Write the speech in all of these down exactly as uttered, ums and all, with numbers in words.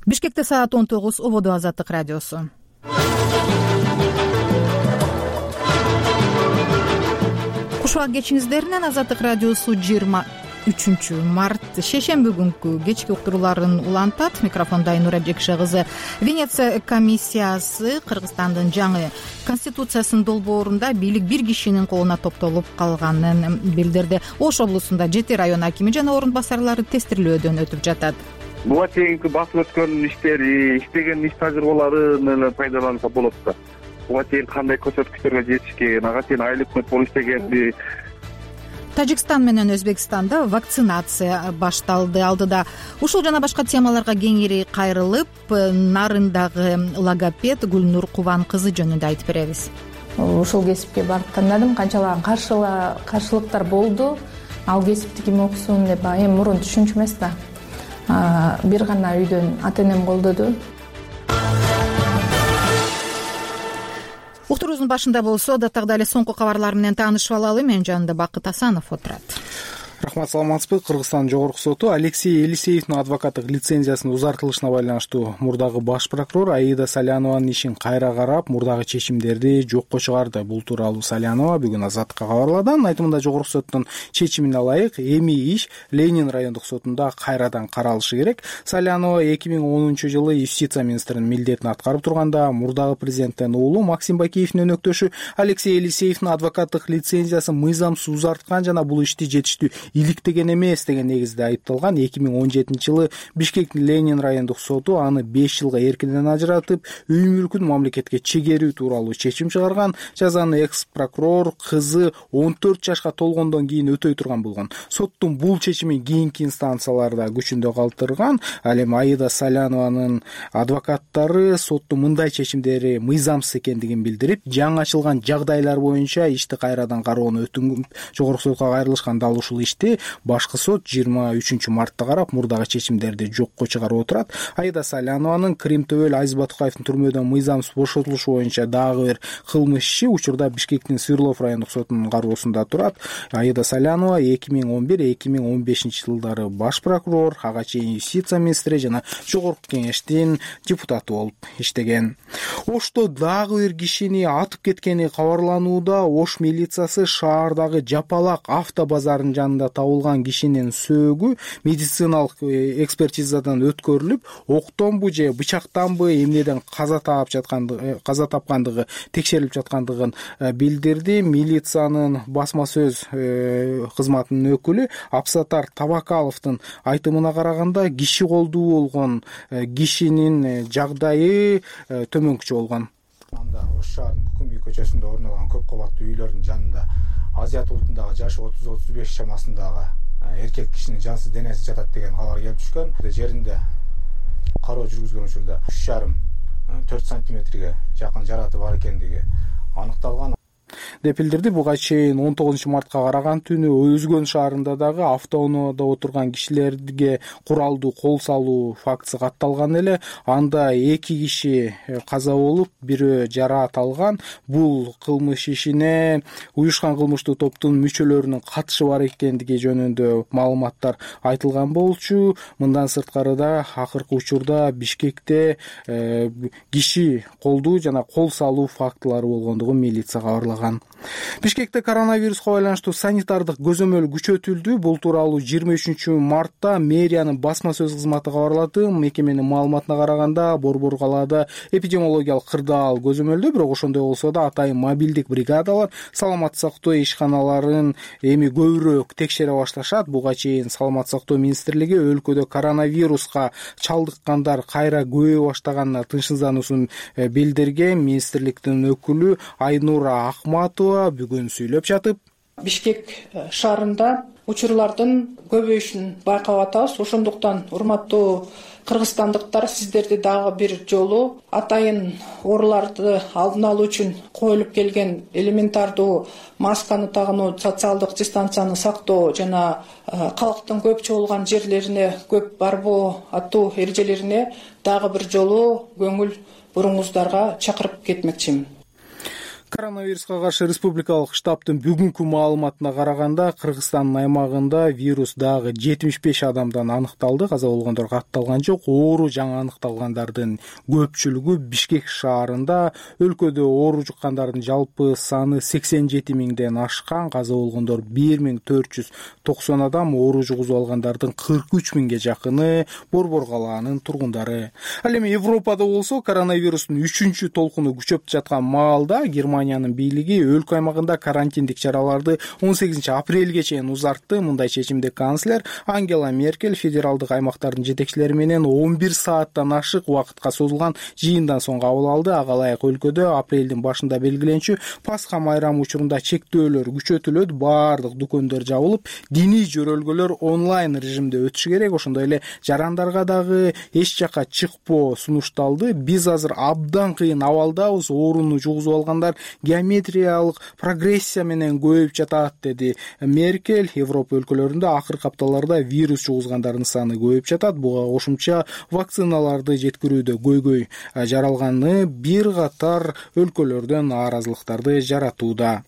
Бишкекте саат он тогуз. Ободо Азаттык радиосу. Кушубак кечиңиздеринен Азаттык радиосу жыйырма үчүнчү март шейшемби күнкү кечки уктурууларын улантат. Микрофонда Айнура Жекше кызы. Венеция комиссиясы Кыргызстандын жаңы конституциясынын долбоорунда бийлик бир кишинин колуна топтолуп калганын билдирди. Ош облусунда жети район акими жана орун басарлары тестирлөөдөн өтүп жатат. Буга чейинки басып өткөн иштери, иштеген иш тажрыйбаларын эле пайдаланса болот да. Буга чейин кандай көрсөткүчтөргө жетишкен, ага чейин айыл өкмөт болуп иштегенди. Тажикстан менен Өзбекстанда вакцинация башталды. Алдыда ушул жана башка темаларга кеңири кайрылып, Нарындагы логопед Гүлнур Кубан кызы жөнүндө айтып беребиз. Ушул кесипке барып тандадым. Канчалаган каршылыктар болду. Ал кесипти ким окусун деп эми мурун түшүнчү эмес да. Бир гана үйдөн ата-энем колдоду. Уктуруубуздун башында болсо, даттагы эле соңку кабарлар менен таанышып алалы. Менин жанымда Бакыт Асанов отурат. Рахмат, саламатсызбы? Кыргызстан Жогорку соту Алексей Елисеевдин адвокаттык лицензиясынын узартылышына байланыштуу мурдагы баш прокурор Аида Салянованын ишин кайра карап, мурдагы чечимдерди жокко чыгарды. Бул тууралуу Салянова бүгүн Азаттыкка кабарлады. Айтымында Жогорку соттун чечимине ылайык эми иш Ленин райондук сотунда кайрадан каралышы керек. Салянова эки миң онунчу жылы юстиция министринин милдетин аткарып турганда мурдагы президенттин уулу Максим Бакиевдин өнөктөшү Алексей Елисеевдин адвокаттык лицензиясын мыйзамсыз узарткан жана бул ишти жетиштүү иликтеген эмес деген негизде айыпталган. эки миң он жетинчи жылы Бишкектин Ленин райондук соту аны беш жылга эркинен ажыратып, үй мүлкүн мамлекетке чегерүү тууралуу чечим чыгарган. Жазаны экс прокурор кызы он төрт жашка толгондон кийин өтөй турган болгон. Соттун бул чечимин кийинки инстанцияларда күчүндө калтырган. Ал эми Аида Салянованын адвокаттары соттун мындай чечимдери мыйзамсыз экендигин билдирип, жаңы ачылган жагдайлар боюнча ишти кайрадан кароону өтүнгүп Жогорку сотко кайрылышкан. Дал ушул ишти башкы сот жыйырма үчүнчү мартта карап, мурдагы чечимдерди жокко чыгарып отурат. Аида Салянованын Крим Төбөл Азиз Батукаевдин түрмөдөн мыйзамсыз бошотулушу боюнча дагы бир кылмыш иши учурда Бишкектин Свердлов райондук сотунун кароосунда турат. Аида Салянова эки миң он бир эки миң он бешинчи жылдары баш прокурор, ага чейин юстиция министри жана жогорку кеңештин депутаты болуп иштеген. Ошто дагы бир кишини атып кеткени кабарланууда. Ош милициясы шаардагы Жапалак автобазарынын жанында табылган кишинин сөөгү медициналык экспертизадан өткөрүлүп, октонбу же бычактанбы эмнеден каза таап жаткандыгы каза тапкандыгы текшерилип жаткандыгын билдирди. Милициянын басма сөз кызматынын өкүлү Абсатар Табакаловдун айтымына караганда, киши колдуу болгон кишинин жагдайы төмөнкүчө болгон. Анда Ош шаарынын Күкүмбүй көчөсүндө орногон көп кабаттуу үйлөрдүн жанында Азият улутундагы жашы отуз отуз беш чамасындагы эркек кишинин жансыз денеси жатат деген кабар келип түшкөн. Жеринде кароо жүргүзгөн учурда үч жарым төрт сантиметрге жакын жараты бар экендиги аныкталган деп билдирди. Буга чейин он тогузунчу мартка караган түнү Өзгөн шаарында дагы автоунаада отурган кишилерге куралдуу кол салуу фактысы катталган эле. Анда эки киши каза болуп, бирөө жараат алган. Бул кылмыш ишине уюшкан кылмыштуу топтун мүчөлөрүнүн катышы бар экендиги жөнүндө маалыматтар айтылган болчу. Мындан сырткары да акыркы учурда Бишкекте э, киши колдуу жана кол салуу фактылары болгондугун милиция кабарлаган. Бишкекте коронавируска байланыштуу санитардык көзөмөл күчөтүлдү. Бул тууралуу жыйырма үчүнчү мартта мэриянын басма сөз кызматы кабарлады. Мекеменин маалыматына караганда, Борбор калаада эпидемиологиялык кырдаал көзөмөлдө, бирок ошондой болсо да атайын мобилдик бригадалар саламаттык сактоо ишканаларын эми көбүрөөк текшере башташат. Буга чейин Саламаттык сактоо министрлиги өлкөдө коронавируска чалдыккандар кайра көбөйө баштаганына тынчсыздануусун билдирген. Министрликтин өкүлү Айнура Акматова бүгүн сүйлөп жатып, Бишкек шаарында учурлардын көбөйүшүн байкап атабыз. Ошондуктан урматтуу кыргызстандыктар, сиздерди дагы бир жолу атайын ооруларды алдын алуу үчүн коюлуп келген элементардуу масканы тагынуу, социалдык дистанцияны сактоо жана калктын көп чогулган жерлерине көп барбоо аттуу эрежелерине дагы бир жолу көңүл буруңуздарга чакырып кетмекчимин. Коронавируска каршы республикалык штабтын бүгүнкү маалыматына караганда Кыргызстандын аймагында вирус дагы жетимиш беш адамдан аныкталды. Каза болгондор катталган жок. Оору жаңы аныкталгандардын көпчүлүгү Бишкек шаарында. Өлкөдө оору жуккандардын жалпы саны сексен жети миңден ашкан. Каза болгондор бир миң төрт жүз токсон адам, оору жугузуп алгандардын кырк үч миңге жакыны Борбор калаанын тургундары. Ал эми Европада болсо коронавирустун үчүнчү толкуну күчөп жаткан маалда Германиянын бийлиги өлкө аймагында карантиндик чараларды он сегизинчи апрелге чейин узартты. Мындай чечимди канцлер Ангела Меркель федералдык аймактардын жетекчилери менен он бир сааттан ашык убакытка созулган жыйындан соң кабыл алды. Ага ылайык өлкөдө апрелдин башында белгиленчү Пасха майрамы учурунда чектөөлөр күчөтүлөт, баардык дүкөндөр жабылып, диний жөрөлгөлөр онлайн режимде өтүшү керек. Ошондой эле жарандарга дагы эч жака чыкпоо сунушталды. Биз азыр абдан кыйын абалдабыз, ооруну жугузуп алгандар геометриялык прогрессия менен көбөйүп жатат, деди Меркель. Европа өлкөлөрүндө акыркы апталарда вирус жугузгандардын саны көбөйүп жатат. Буга кошумча вакциналарды жеткирүүдө көйгөй жаралганы бир катар өлкөлөрдөн нааразылыктарды жаратууда.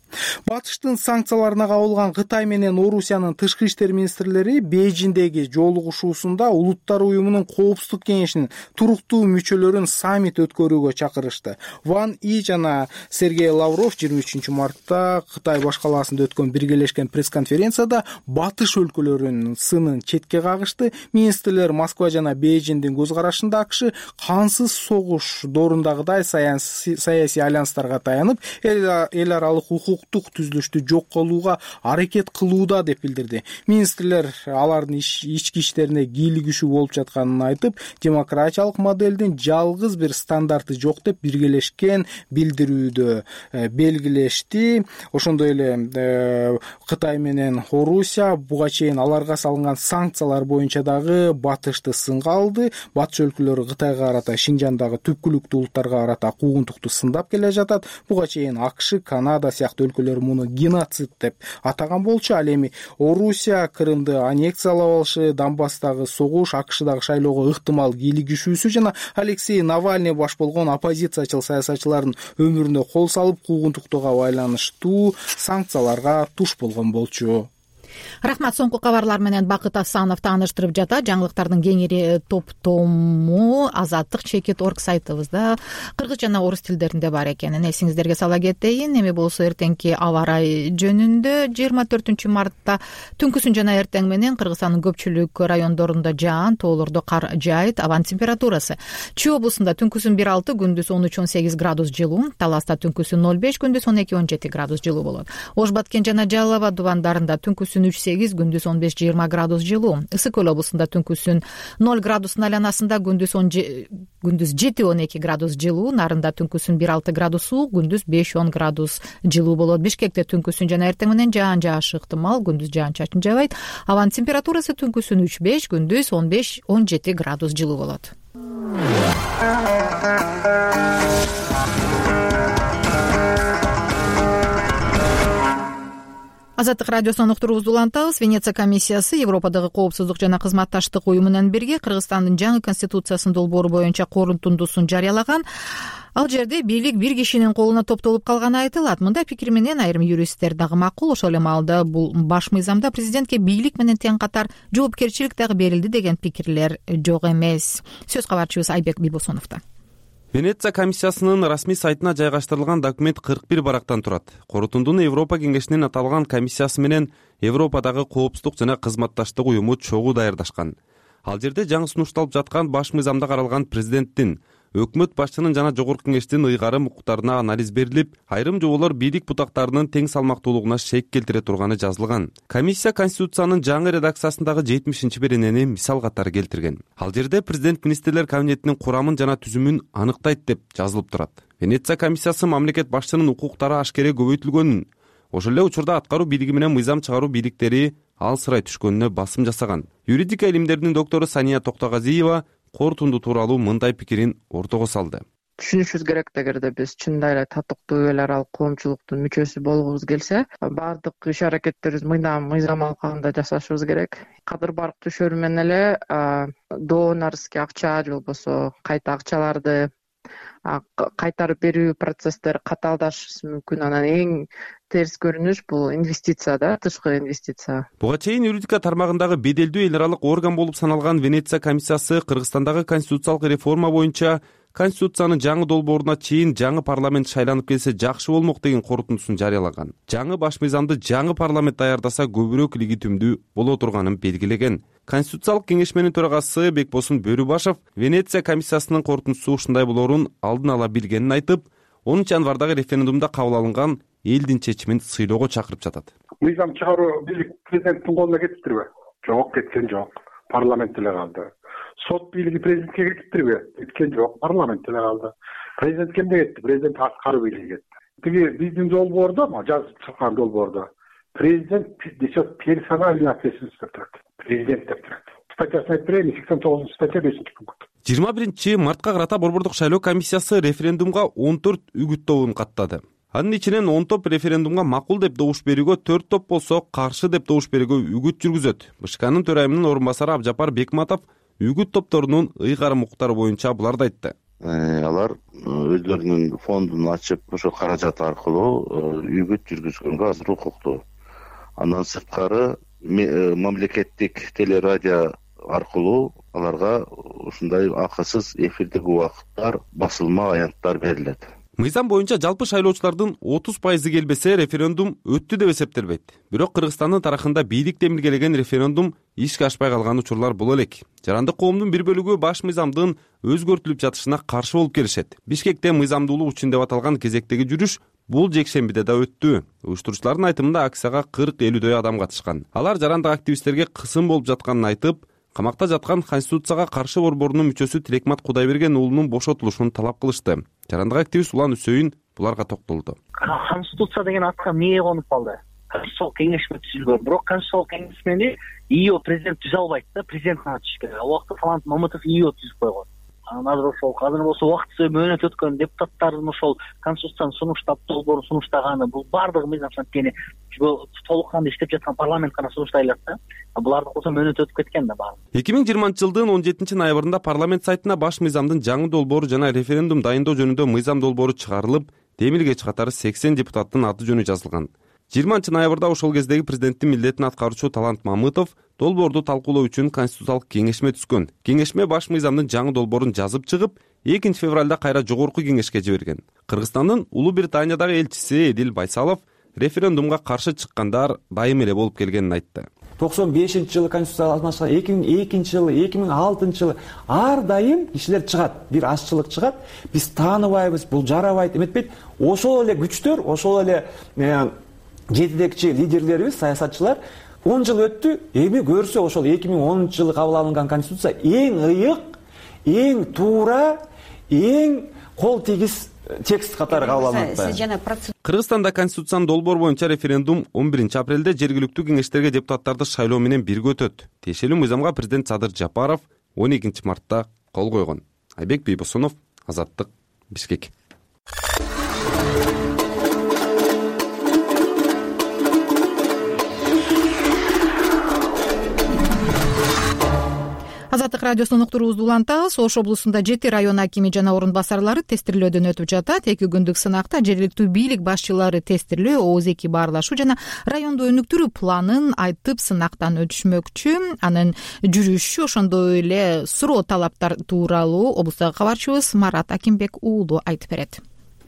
Батыштын санкцияларына кабылган Кытай менен Орусиянын тышкы иштер министрлери Бейжиңдеги жолугушуусунда Улуттар уюмунун коопсуздук кеңешинин туруктуу мүчөлөрүн саммит өткөрүүгө чакырышты. Ван И жана Сергей Лавров жыйырма үчүнчү мартта Кытай баш калаасында өткөн биргелешкен пресс-конференцияда батыш өлкөлөрүнүн сынын четке кагышты. Министрлер Москва жана Бейжиңдин көз карашында АКШ кансыз согуш доорундагыдай саясий альянстарга таянып, эл аралык укуктук түзүлүштү жок кылууга аракет кылууда деп билдирди. Министрлер алардын ички иштерине кийлигишүү болуп жатканын айтып, демократиялык моделдин жалгыз бир стандарты жок деп биргелешкен билдирүүдө белгилешти. Ошондой эле Кытай менен Орусия буга чейин аларга салынган санкциялар боюнча дагы батышты сынга алды. Батыш өлкөлөрү Кытайга карата Шинжандагы түпкүлүктүү улуттарга карата куугунтукту сындап келе жатат. Буга чейин АКШ, Канада сыяктуу өлкөлөр муну геноцид деп атаган болчу. Ал эми Орусия Крымды аннексиялап алышы, Донбасстагы согуш, АКШдагы шайлоого ыктымал кийлигишүүсү жана Алексей Навальный баш болгон оппозициячыл саясатчылардын өмүрүнө кол салып, куугунтуктууга байланыштуу санкцияларга туш болгон болчу. Рахмат. Соңку кабарлар менен Бакыт Асанов тааныштырып жатат. Жаңылыктардын кеңири топтому Азаттык чекит орг сайтыбызда кыргыз жана орус тилдеринде бар экенин эсиңиздерге сала кетейин. Эми болсо эртеңки аба ырайы жөнүндө жыйырма төртүнчү мартта түнкүсүн жана эртең менен Кыргызстандын көпчүлүк райондорунда жаан, тоолордо кар жаайт. Абанын температурасы: Чүй облусунда түнкүсүн бир алты, күндүз он үч он сегиз градус жылуу, Таласта түнкүсүн ноль беш, күндүз он эки он жети градус жылуу болот. Ош Баткен жана Жалал Абад дубандарында түнкүсүн үч сегиз, күндүз он беш жыйырма градус жылуу. Ысык көл облусунда түнкүсүн ноль градустун айланасында, күндүз он күндүз жети он эки градус жылуу. Нарында түнкүсүн бир алты градус суук, күндүз беш он градус жылуу болот. Бишкекте түнкүсүн жана эртең менен жаан жаашы ыктымал, күндүз жаан-чачын жаабайт. Абанын температурасы түнкүсүн үч беш, күндүз он беш он жети градус жылуу болот. Азаттык радиосунун уктуруубузду улантабыз. Венеция комиссиясы Европадагы коопсуздук жана кызматташтык уюму менен бирге Кыргызстандын жаңы конституциясынын долбоору боюнча корутундусун жарыялаган. Ал жерде бийлик бир кишинин колуна топтолуп калганы айтылат. Мындай пикир менен айрым юристтер дагы макул. Ошол эле маалда бул баш мыйзамда президентке бийлик менен тең катар жоопкерчилик дагы берилди деген пикирлер жок эмес. Сөз кабарчыбыз Айбек Бибосоновдо. Венеция комиссиясынын расмий сайтына жайгаштырылган документ кырк бир барактан турат. Корутундуну Европа кеңешинин аталган комиссиясы менен Европадагы коопсуздук жана кызматташтык уюму чогуу даярдашкан. Ал жерде жаңы сунушталып жаткан баш мыйзамда каралган президенттин, өкмөт башчынын жана жогорку кеңештин ыйгарым укуктарына анализ берилип, айрым жоболор бийлик бутактарынын тең салмактуулугуна шек келтире турганы жазылган. Комиссия Конституциянын жаңы редакциясындагы жетимишинчи беренени мисал катары келтирген. Ал жерде президент министрлер кабинетинин курамын жана түзүмүн аныктайт деп жазылып турат. Венеция комиссиясы мамлекет башчынын укуктары ашкере көбөйтүлгөнүн, ошол эле учурда аткаруу бийлиги менен мыйзам чыгаруу бийликтери алсырай түшкөнүнө басым жасаган. Юридика илимдеринин доктору Сания Токтогазиева корутунду тууралуу мындай пикирин ортого салды. Түшүнүшүбүз керек эгерде биз чындап эле татыктуу эл аралык коомчулуктун мүчөсү болгубуз келсе, баардык иш аракеттерибиз мыйзам мыйзам алкагында жасашыбыз керек. Кадыр барк түшөрү менен эле доонорский акча же болбосо кайта акчаларды кайтарып берүү процесстери катаалдашышы мүмкүн. Анан эң терс көрүнүш бул инвестиция да, тышкы инвестиция. Буга чейин юридика тармагындагы беделдүү эл аралык орган болуп саналган Венеция комиссиясы Кыргызстандагы конституциялык реформа боюнча Конституциянын жаңы долбооруна чейин жаңы парламент шайланып келсе жакшы болмок деген корутундусун жарыялаган. Жаңы баш мыйзамды жаңы парламент даярдаса көбүрөөк легитимдүү боло турганын белгилеген. Конституциялык кеңешменин төрагасы Бекбосун Бөрүбашев Венеция комиссиясынын корутундусу ушундай болоорун алдын ала билгенин айтып, онунчу январдагы референдумда кабыл алынган элдин чечимин сыйлоого чакырып жатат. Мыйзам чыгаруу бийлик президенттин колуна кетиптирби? Жок, кеткен жок. Парламент эле калды. Сот бийлиги президентке кетиптирби? Кеткен жок. Парламент эле калды. Президент кемде кетти? Президент аткаруу бийлиги кетти. Тиги биздин долбоордо, жазып чыккан долбоордо президент несет персональный ответственность деп турат. Президент деп турат. Статьясын айтып берейин, сексен тогузунчу статья бешинчи пункт. жыйырма биринчи мартка карата Борбордук шайлоо комиссиясы референдумга он төрт үгүт тобун каттады. Анын ичинен он топ референдумга макул деп добуш берүүгө, төрт топ болсо каршы деп добуш берүүгө үгүт жүргүзөт. БШКнын төрайымынын орун басары Абжапар Бекматов үгүт топторунун ыйгарым укуктары боюнча буларды айтты. Алар өздөрүнүн фондун ачып, ошо каражат аркылуу үгүт жүргүзгөнгө азыр укуктуу. Андан сырткары мамлекеттик телерадио аркылуу аларга ушундай акысыз эфирдик убакыттар, басылма аянттар берилет. Мыйзам боюнча жалпы шайлоочулардын отуз пайызы келбесе референдум өттү деп эсептелбейт. Бирок Кыргызстандын тарыхында бийлик демилгелеген референдум ишке ашпай калган учурлар боло элек. Жарандык коомдун бир бөлүгү баш мыйзамдын өзгөртүлүп жатышына каршы болуп келишет. Бишкекте мыйзамдуулук үчүн деп аталган кезектеги жүрүш бул жекшембиде да өттү. Уюштуруучулардын айтымында акцияга кырк элүүдөй адам катышкан. Алар жарандык активисттерге кысым болуп жатканын айтып, камакта жаткан Конституцияга каршы борборунун мүчөсү Тилекмат Кудайберген уулунун бошотулушун талап кылышты. Жарандык активист Улан Үсөйүн буларга токтолду. Конституция деген атка эмне конуп калды? Конституциялык кеңешме түзүлгөн. Бирок конституциялык кеңешмени ИО президент түзө албайт да, президент ачыш керек. Ал убакта Талант Мамытов ИО түзүп койгон. Анан азыр ошол азыр болсо убактысы мөөнөт өткөн депутаттардын ошол конституцияны сунуштап, долбоорун сунуштаганы, бул бардыгы мыйзам анткени толук кандуу иштеп жаткан парламент гана сунуштайлат да. Буларды болсо мөөнөт өтүп кеткен да баары. эки миң жыйырманчы жылдын он жетинчи ноябрында парламент сайтына баш мыйзамдын жаңы долбоору жана референдум дайындоо жөнүндө мыйзам долбоору чыгарылып, демилгеч катары сексен депутаттын аты жөнү жазылган. жыйырманчы ноябрда ошол кездеги президенттин милдетин аткаруучу Талант Мамытов долбоорду талкуулоо үчүн конституциялык кеңешме түзгөн. Кеңешме баш мыйзамдын жаңы долбоорун жазып чыгып, экинчи февралда кайра жогорку кеңешке жиберген. Кыргызстандын Улуу Британиядагы элчиси Эдил Байсалов референдумга каршы чыккандар дайым эле болуп келгенин айтты. токсон бешинчи жылы конституция алмашкан, эки миң экинчи жылы, эки миң алтынчы жылы ар дайым кишилер чыгат, бир азчылык чыгат. Биз тааныбайбыз, бул жарабайт эметпейт. Ошол эле күчтөр, ошол эле жетидекчи лидерлерибиз, саясатчылар он жыл өттү, эми көрсө ошол эки миң онунчу жылы кабыл алынган конституция эң ыйык, эң туура, эң кол тийгиз текст катары кабыл алынат. Кыргызстанда конституциянын долбоор боюнча референдум он биринчи апрелде жергиликтүү кеңештерге депутаттарды шайлоо менен бирге өтөт. Тиешелүү мыйзамга президент Садыр Жапаров он экинчи мартта кол койгон. Айбек Бийбосунов, Азаттык, Бишкек. Азаттык радиосунун уктуруубузду улантабыз. Ош облусунда жети район акими жана орун басарлары тестирлөөдөн өтүп жатат. Эки күндүк сынакта жергиликтүү бийлик башчылары тестирлөө, оозеки баарлашуу жана райондо өнүктүрүү планын айтып сынактан өтүшмөкчү. Анын жүрүшү, ошондой эле суроо талаптар тууралуу облустагы кабарчыбыз Марат Акимбек уулу айтып берет.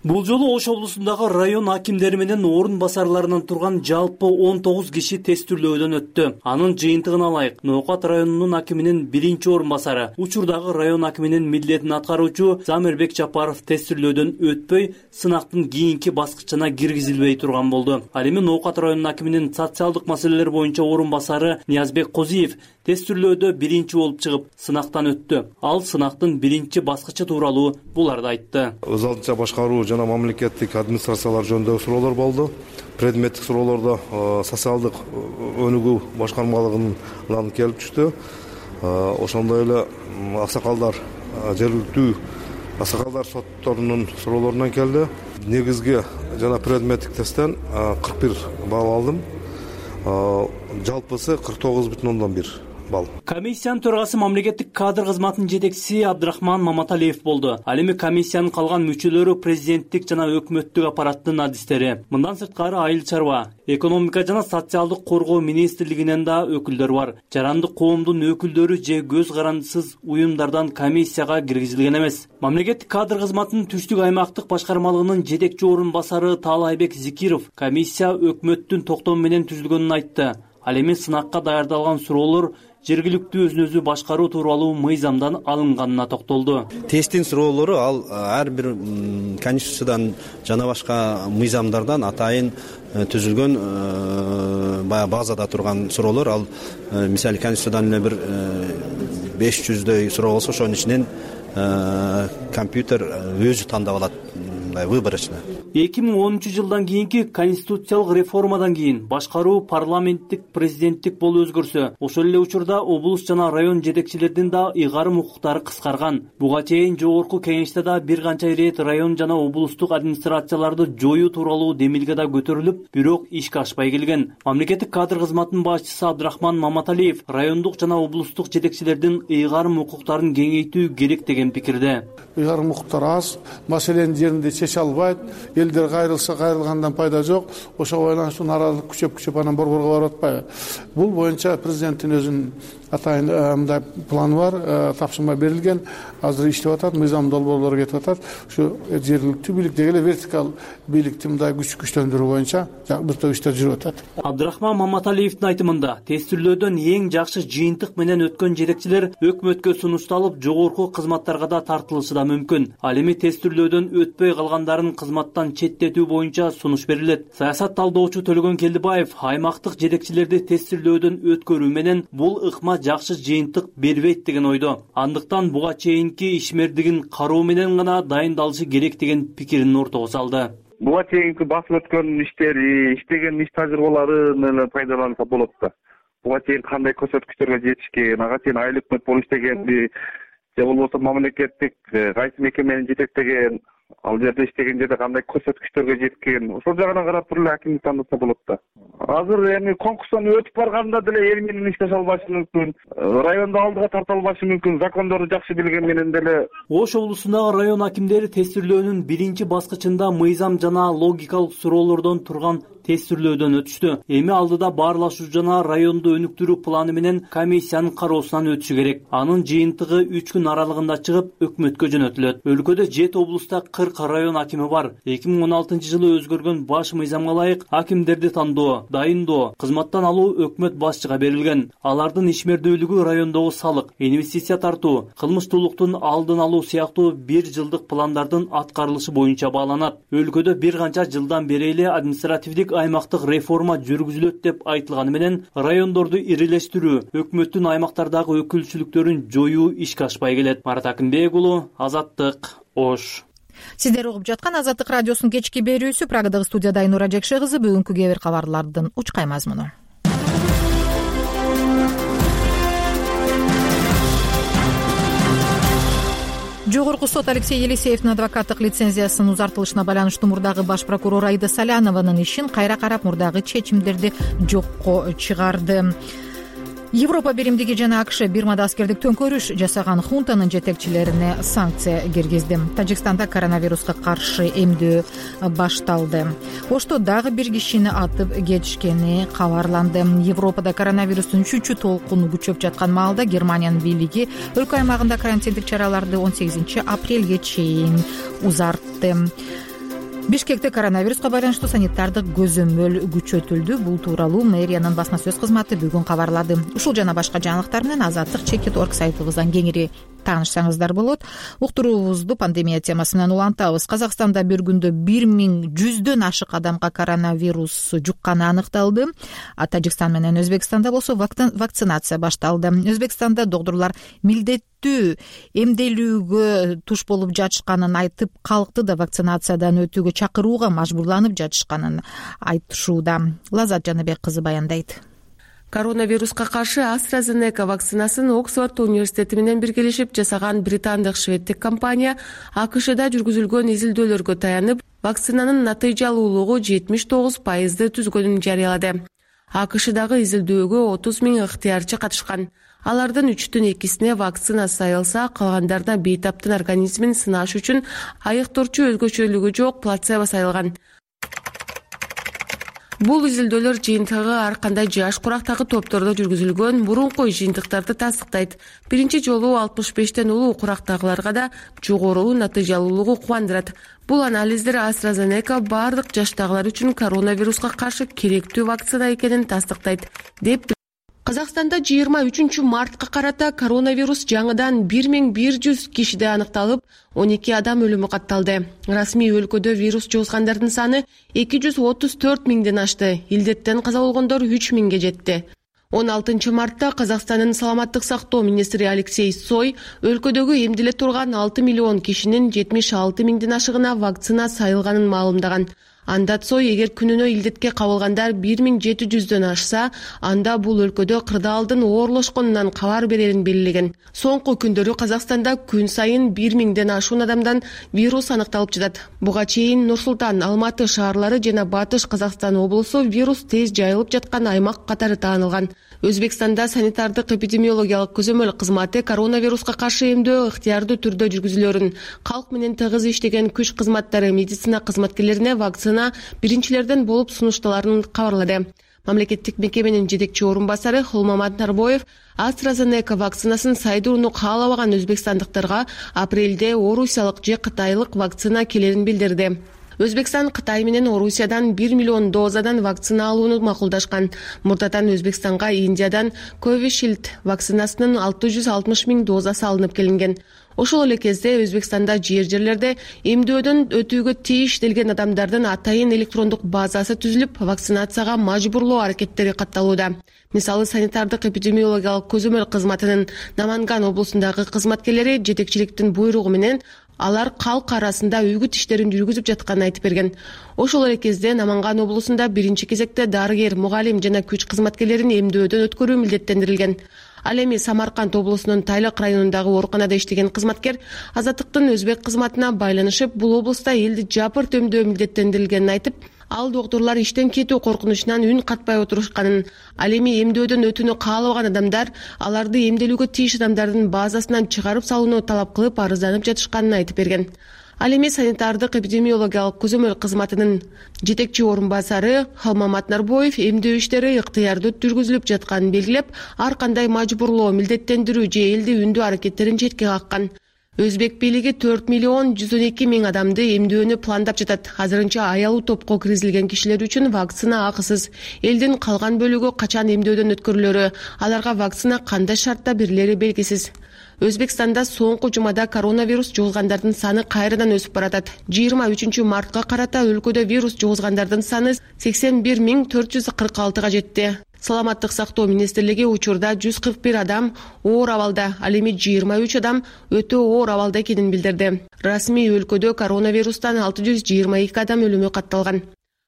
Бул жолу Ош облусундагы район акимдери менен орун басарларынан турган жалпы он тогуз киши тестирлөөдөн өттү. Анын жыйынтыгын алайык. Ноокат районунун акиминин биринчи орун басары, учурдагы район акиминин милдетин аткаруучу Замирбек Жапаров тестирлөөдөн өтпөй, сынактын кийинки баскычына киргизилбей турган болду. Ал эми Ноокат районунун акиминин социалдык маселелер боюнча орун басары Ниязбек Козиев тестирлөөдө биринчи болуп чыгып, сынактан өттү. Ал сынактын биринчи баскычы тууралуу буларды айтты. Өз алдынча башкаруу жана мамлекеттик администрациялар жөнүндө суроолор болду. Предметтик суроолордо социалдык өнүгүү башкармалыгынан келип түштү. Ошондой эле аксакалдар, жергиликтүү аксакалдар сотторунун суроолорунан келди. Негизги жана предметтик тесттен кырк бир балл алдым. Жалпысы кырк тогуз бүтүн ондон бир балл. Комиссиянын төрагасы мамлекеттик кадр кызматынын жетекчиси Абдрахман Маматалиев болду. Ал эми комиссиянын калган мүчөлөрү президенттик жана өкмөттүк аппараттын адистери. Мындан сырткары айыл чарба, экономика жана социалдык коргоо министрлигинен да өкүлдөр бар. Жарандык коомдун өкүлдөрү же көз карандысыз уюмдардан комиссияга киргизилген эмес. Мамлекеттик кадр кызматынын түштүк аймактык башкармалыгынын жетекчи орун басары Таалайбек Зикиров комиссия өкмөттүн токтому менен түзүлгөнүн айтты. Ал эми сынакка даярдалган суроолор жергиликтүү өзүн өзү башкаруу тууралуу мыйзамдан алынганына токтолду. Тесттин суроолору ал ар бир конституциядан жана башка мыйзамдардан атайын түзүлгөн баягы базада турган суроолор. Ал мисалы конституциядан эле бир беш жүздөй суроо болсо ошонун ичинен компьютер өзү тандап алат выборочно. эки миң онунчу жылдан кийинки конституциялык реформадан кийин башкаруу парламенттик президенттик болуп өзгөрсө, ошол эле учурда облус жана район жетекчилердин да ыйгарым укуктары кыскарган. Буга чейин жогорку кеңеште да бир канча ирет район жана облустук администрацияларды жоюу тууралуу демилге да көтөрүлүп, бирок ишке ашпай келген. Мамлекеттик кадр кызматынын башчысы Абдрахман Маматалиев райондук жана облустук жетекчилердин ыйгарым укуктарын кеңейтүү керек деген пикирде. Ыйгарым укуктар аз, маселенин жеринде чече албайт, элдер кайрылса кайрылгандан пайда жок. Ошого байланыштуу нааразылык күчөп күчөп анан борборго барып атпайбы. Бул боюнча президенттин өзүнүн атайын мындай планы бар, тапшырма берилген, азыр иштеп атат, мыйзам долбоорлору кетип атат. Ушу жергиликтүү бийликтеги эле вертикал бийликти мындай күч күчтөндүрүү боюнча бир топ иштер жүрүп атат. Абдрахман Маматалиевдин айтымында, тестирлөөдөн эң жакшы жыйынтык менен өткөн жетекчилер өкмөткө сунушталып, жогорку кызматтарга да тартылышы да мүмкүн. Ал эми тестирлөөдөн өтпөй калгандарын кызматтан четтетүү боюнча сунуш берилет. Саясат талдоочу Төлөгөн Келдибаев аймактык жетекчилерди тестирлөөдөн өткөрүү менен бул ыкма жакшы жыйынтык бербейт деген ойдо. Андыктан буга чейинки ишмердигин кароо менен гана дайындалышы керек деген пикирин ортого салды. Буга чейинки басып өткөн иштери, иштеген иш тажрыйбаларын эле пайдаланса болот да. Буга чейин кандай көрсөткүчтөргө жетишкен, ага чейин айыл өкмөт болуп иштегенби, же болбосо мамлекеттик кайсы мекемени жетектеген, ал жерде иштеген жерде кандай көрсөткүчтөргө жеткен, ошол жагына карап туруп эле акимди тандаса болот да. Азыр эми конкурстан өтүп барганда деле эл менен иштеше албашы мүмкүн, райондо алдыга тарта албашы мүмкүн, закондорду жакшы билген менен деле. Ош облусундагы район акимдери тестирлөөнүн биринчи баскычында мыйзам жана логикалык суроолордон турган тестирлөөдөн өтүштү. Эми алдыда баарлашуу жана районду өнүктүрүү планы менен комиссиянын кароосунан өтүшү керек. Анын жыйынтыгы үч күн аралыгында чыгып, өкмөткө жөнөтүлөт. Өлкөдө жети облуста кырк район акими бар. эки миң он алтынчы жылы өзгөргөн баш мыйзамга ылайык акимдерди тандоо, дайындоо, кызматтан алуу өкмөт башчыга берилген. Алардын ишмердүүлүгү райондогу салык, инвестиция тартуу, кылмыштуулуктун алдын алуу сыяктуу бир жылдык пландардын аткарылышы боюнча бааланат. Өлкөдө бир канча жылдан бери эле административдик аймактык реформа жүргүзүлөт деп айтылганы менен райондорду ирилештирүү, өкмөттүн аймактардагы өкүлчүлүктөрүн жоюу ишке ашпай келет. Марат Акимбек уулу, Азаттык, Ош. Сиздер угуп жаткан Азаттык радиосунун кечки берүүсү. Прагадагы студияда Айнура Жекше кызы. Бүгүнкү кээ бир кабарлардын учкай мазмуну. Жогорку сот Алексей Елисеевдин адвокаттык лицензиясынын узартылышына байланыштуу мурдагы баш прокурор Аида Салянованын ишин кайра карап мурдагы чечимдерди жокко чыгарды. Европа биримдиги жана АКШ Бирмада аскердик төңкөрүш жасаган хунтанын жетекчилерине санкция киргизди. Тажикстанда коронавируска каршы эмдөө башталды. Ошто дагы бир кишини атып кетишкени кабарланды. Европада коронавирустун үчүнчү толкуну күчөп жаткан маалда Германиянын бийлиги өлкө аймагында карантиндик чараларды он сегизинчи апрелге чейин узартты. Бишкекте коронавируска байланыштуу санитардык көзөмөл күчөтүлдү. Бул тууралуу мэриянын басма сөз кызматы бүгүн кабарлады. Ушул жана башка жаңылыктар менен азаттык чекит орг сайтыбыздан кеңири таанышсаңыздар болот. Уктуруубузду пандемия темасы менен улантабыз. Казакстанда бир күндө бир миң жүздөн ашык адамга коронавирус жукканы аныкталды. А Тажикстан менен Өзбекстанда болсо вакцинация башталды. Өзбекстанда доктурлар милдеттүү эмделүүгө туш болуп жатышканын айтып, калкты да вакцинациядан өтүүгө чакырууга мажбурланып жатышканын айтышууда. Лазат Жаныбек кызы баяндайт. Коронавируска каршы AstraZeneca вакцинасын Оксфорд университети менен биргелешип жасаган британдык шведтик компания АКШда жүргүзүлгөн изилдөөлөргө таянып, вакцинанын натыйжалуулугу жетимиш тогуз пайызды түзгөнүн жарыялады. АКШдагы изилдөөгө отуз миң ыктыярчы катышкан. Алардын үчтөн экисине вакцина сайылса, калгандарына бейтаптын организмин сынаш үчүн айыктоочу өзгөчөлүгү жок плацебо сайылган. Бул изилдөөлөр жыйынтыгы ар кандай жаш курактагы топтордо жүргүзүлгөн мурунку жыйынтыктарды тастыктайт. Биринчи жолу алтымыш бештен улуу курактагыларга да жогору натыйжалуулугу кубандырат. Бул анализдер AstraZeneca бардык жаштагылар үчүн коронавируска каршы керектүү вакцина экенин тастыктайт, деп Казакстанда жыйырма үчүнчү мартка карата коронавирус жаңыдан бир миң бир жүз кишиде аныкталып, он эки адам өлүмү катталды. Расмий өлкөдө вирус жугузгандардын саны эки жүз отуз төрт миңден ашты. Илдеттен каза болгондор үч миңге жетти. он алтынчы мартта Казакстандын саламаттык сактоо министри Алексей Сой өлкөдөгү эмдиле турган алты миллион кишинин жетимиш алты миңден ашыгына вакцина сайылганын маалымдаган. Анда Цой эгер күнүнө илдетке кабылгандар бир миң жети жүздөн ашса, анда бул өлкөдө кырдаалдын оорлошконунан кабар берерин белгилеген. Соңку күндөрү Казакстанда күн сайын бир миңден ашуун адамдан вирус аныкталып жатат. Буга чейин Нур-Султан, Алматы шаарлары жана Батыш Казакстан облусу вирус тез жайылып жаткан аймак катары таанылган. Өзбекстанда санитардык эпидемиологиялык көзөмөл кызматы коронавируска каршы эмдөө ыктыярдуу түрдө жүргүзүлөрүн, калк менен тыгыз иштеген күч кызматтары медицина кызматкерлерине вакцина биринчилерден болуп сунушталарын кабарлады. Мамлекеттик мекеменин жетекчи орун басары Холмамат Нарбоев AstraZeneca вакцинасын сайдырууну каалабаган өзбекстандыктарга апрелде орусиялык же кытайлык вакцина келерин билдирди. Өзбекстан Кытай менен Орусиядан бир миллион дозадан вакцина алууну макулдашкан. Мурдатан Өзбекстанга Индиядан Covishield вакцинасынын алты жүз алтымыш миң дозасы алынып келинген. Ошол эле кезде Өзбекстанда жер-жерлерде эмдөөдөн өтүүгө тийиштелген адамдардын атайын электрондук базасы түзүлүп, вакцинацияга мажбурлоо аракеттери катталууда. Мисалы, санитардык эпидемиологиялык көзөмөл кызматынын Наманган облусундагы кызматкерлери жетекчиликтин буйругу менен алар калк арасында үгүт иштерин жүргүзүп жатканын айтып берген. Ошол эле кезде Наманган облусунда биринчи кезекте дарыгер, мугалим жана күч кызматкерлерин эмдөөдөн өткөрүү милдеттендирилген. Ал эми Самарканд облусунун Тайлык районундагы ооруканада иштеген кызматкер Азаттыктын өзбек кызматына байланышып, бул облуста элди жапырт эмдөө милдеттендирилгенин айтып, ал доктурлар иштен кетүү коркунучунан үн катпай отурушканын, ал эми эмдөөдөн өтүүнү каалабаган адамдар аларды эмделүүгө тийиш адамдардын базасынан чыгарып салууну талап кылып арызданып жатышканын айтып берген. Ал эми санитардык эпидемиологиялык көзөмөл кызматынын жетекчи орун басары Холмамат Нарбоев эмдөө иштери ыктыярдуу жүргүзүлүп жатканын белгилеп, ар кандай мажбурлоо, милдеттендирүү же элди үндүү аракеттерин четке каккан. Өзбек бийлиги төрт миллион жүз он эки миң адамды эмдөөнү пландап жатат. Азырынча аялуу топко киргизилген кишилер үчүн вакцина акысыз. Элдин калган бөлүгү качан эмдөөдөн өткөрүлөрү, аларга вакцина кандай шартта берилери белгисиз. Өзбекстанда соңку жумада коронавирус жугузгандардын саны кайрадан өсүп баратат. жыйырма үчүнчү мартка карата өлкөдө вирус жугузгандардын саны сексен бир миң төрт жүз кырк алтыга жетти. Саламаттык сактоо министрлиги учурда жүз кырк бир адам оор абалда, ал эми жыйырма үч адам өтө оор абалда экенин билдирди. Расмий өлкөдө коронавирустан алты жүз жыйырма эки адам өлүмү катталган.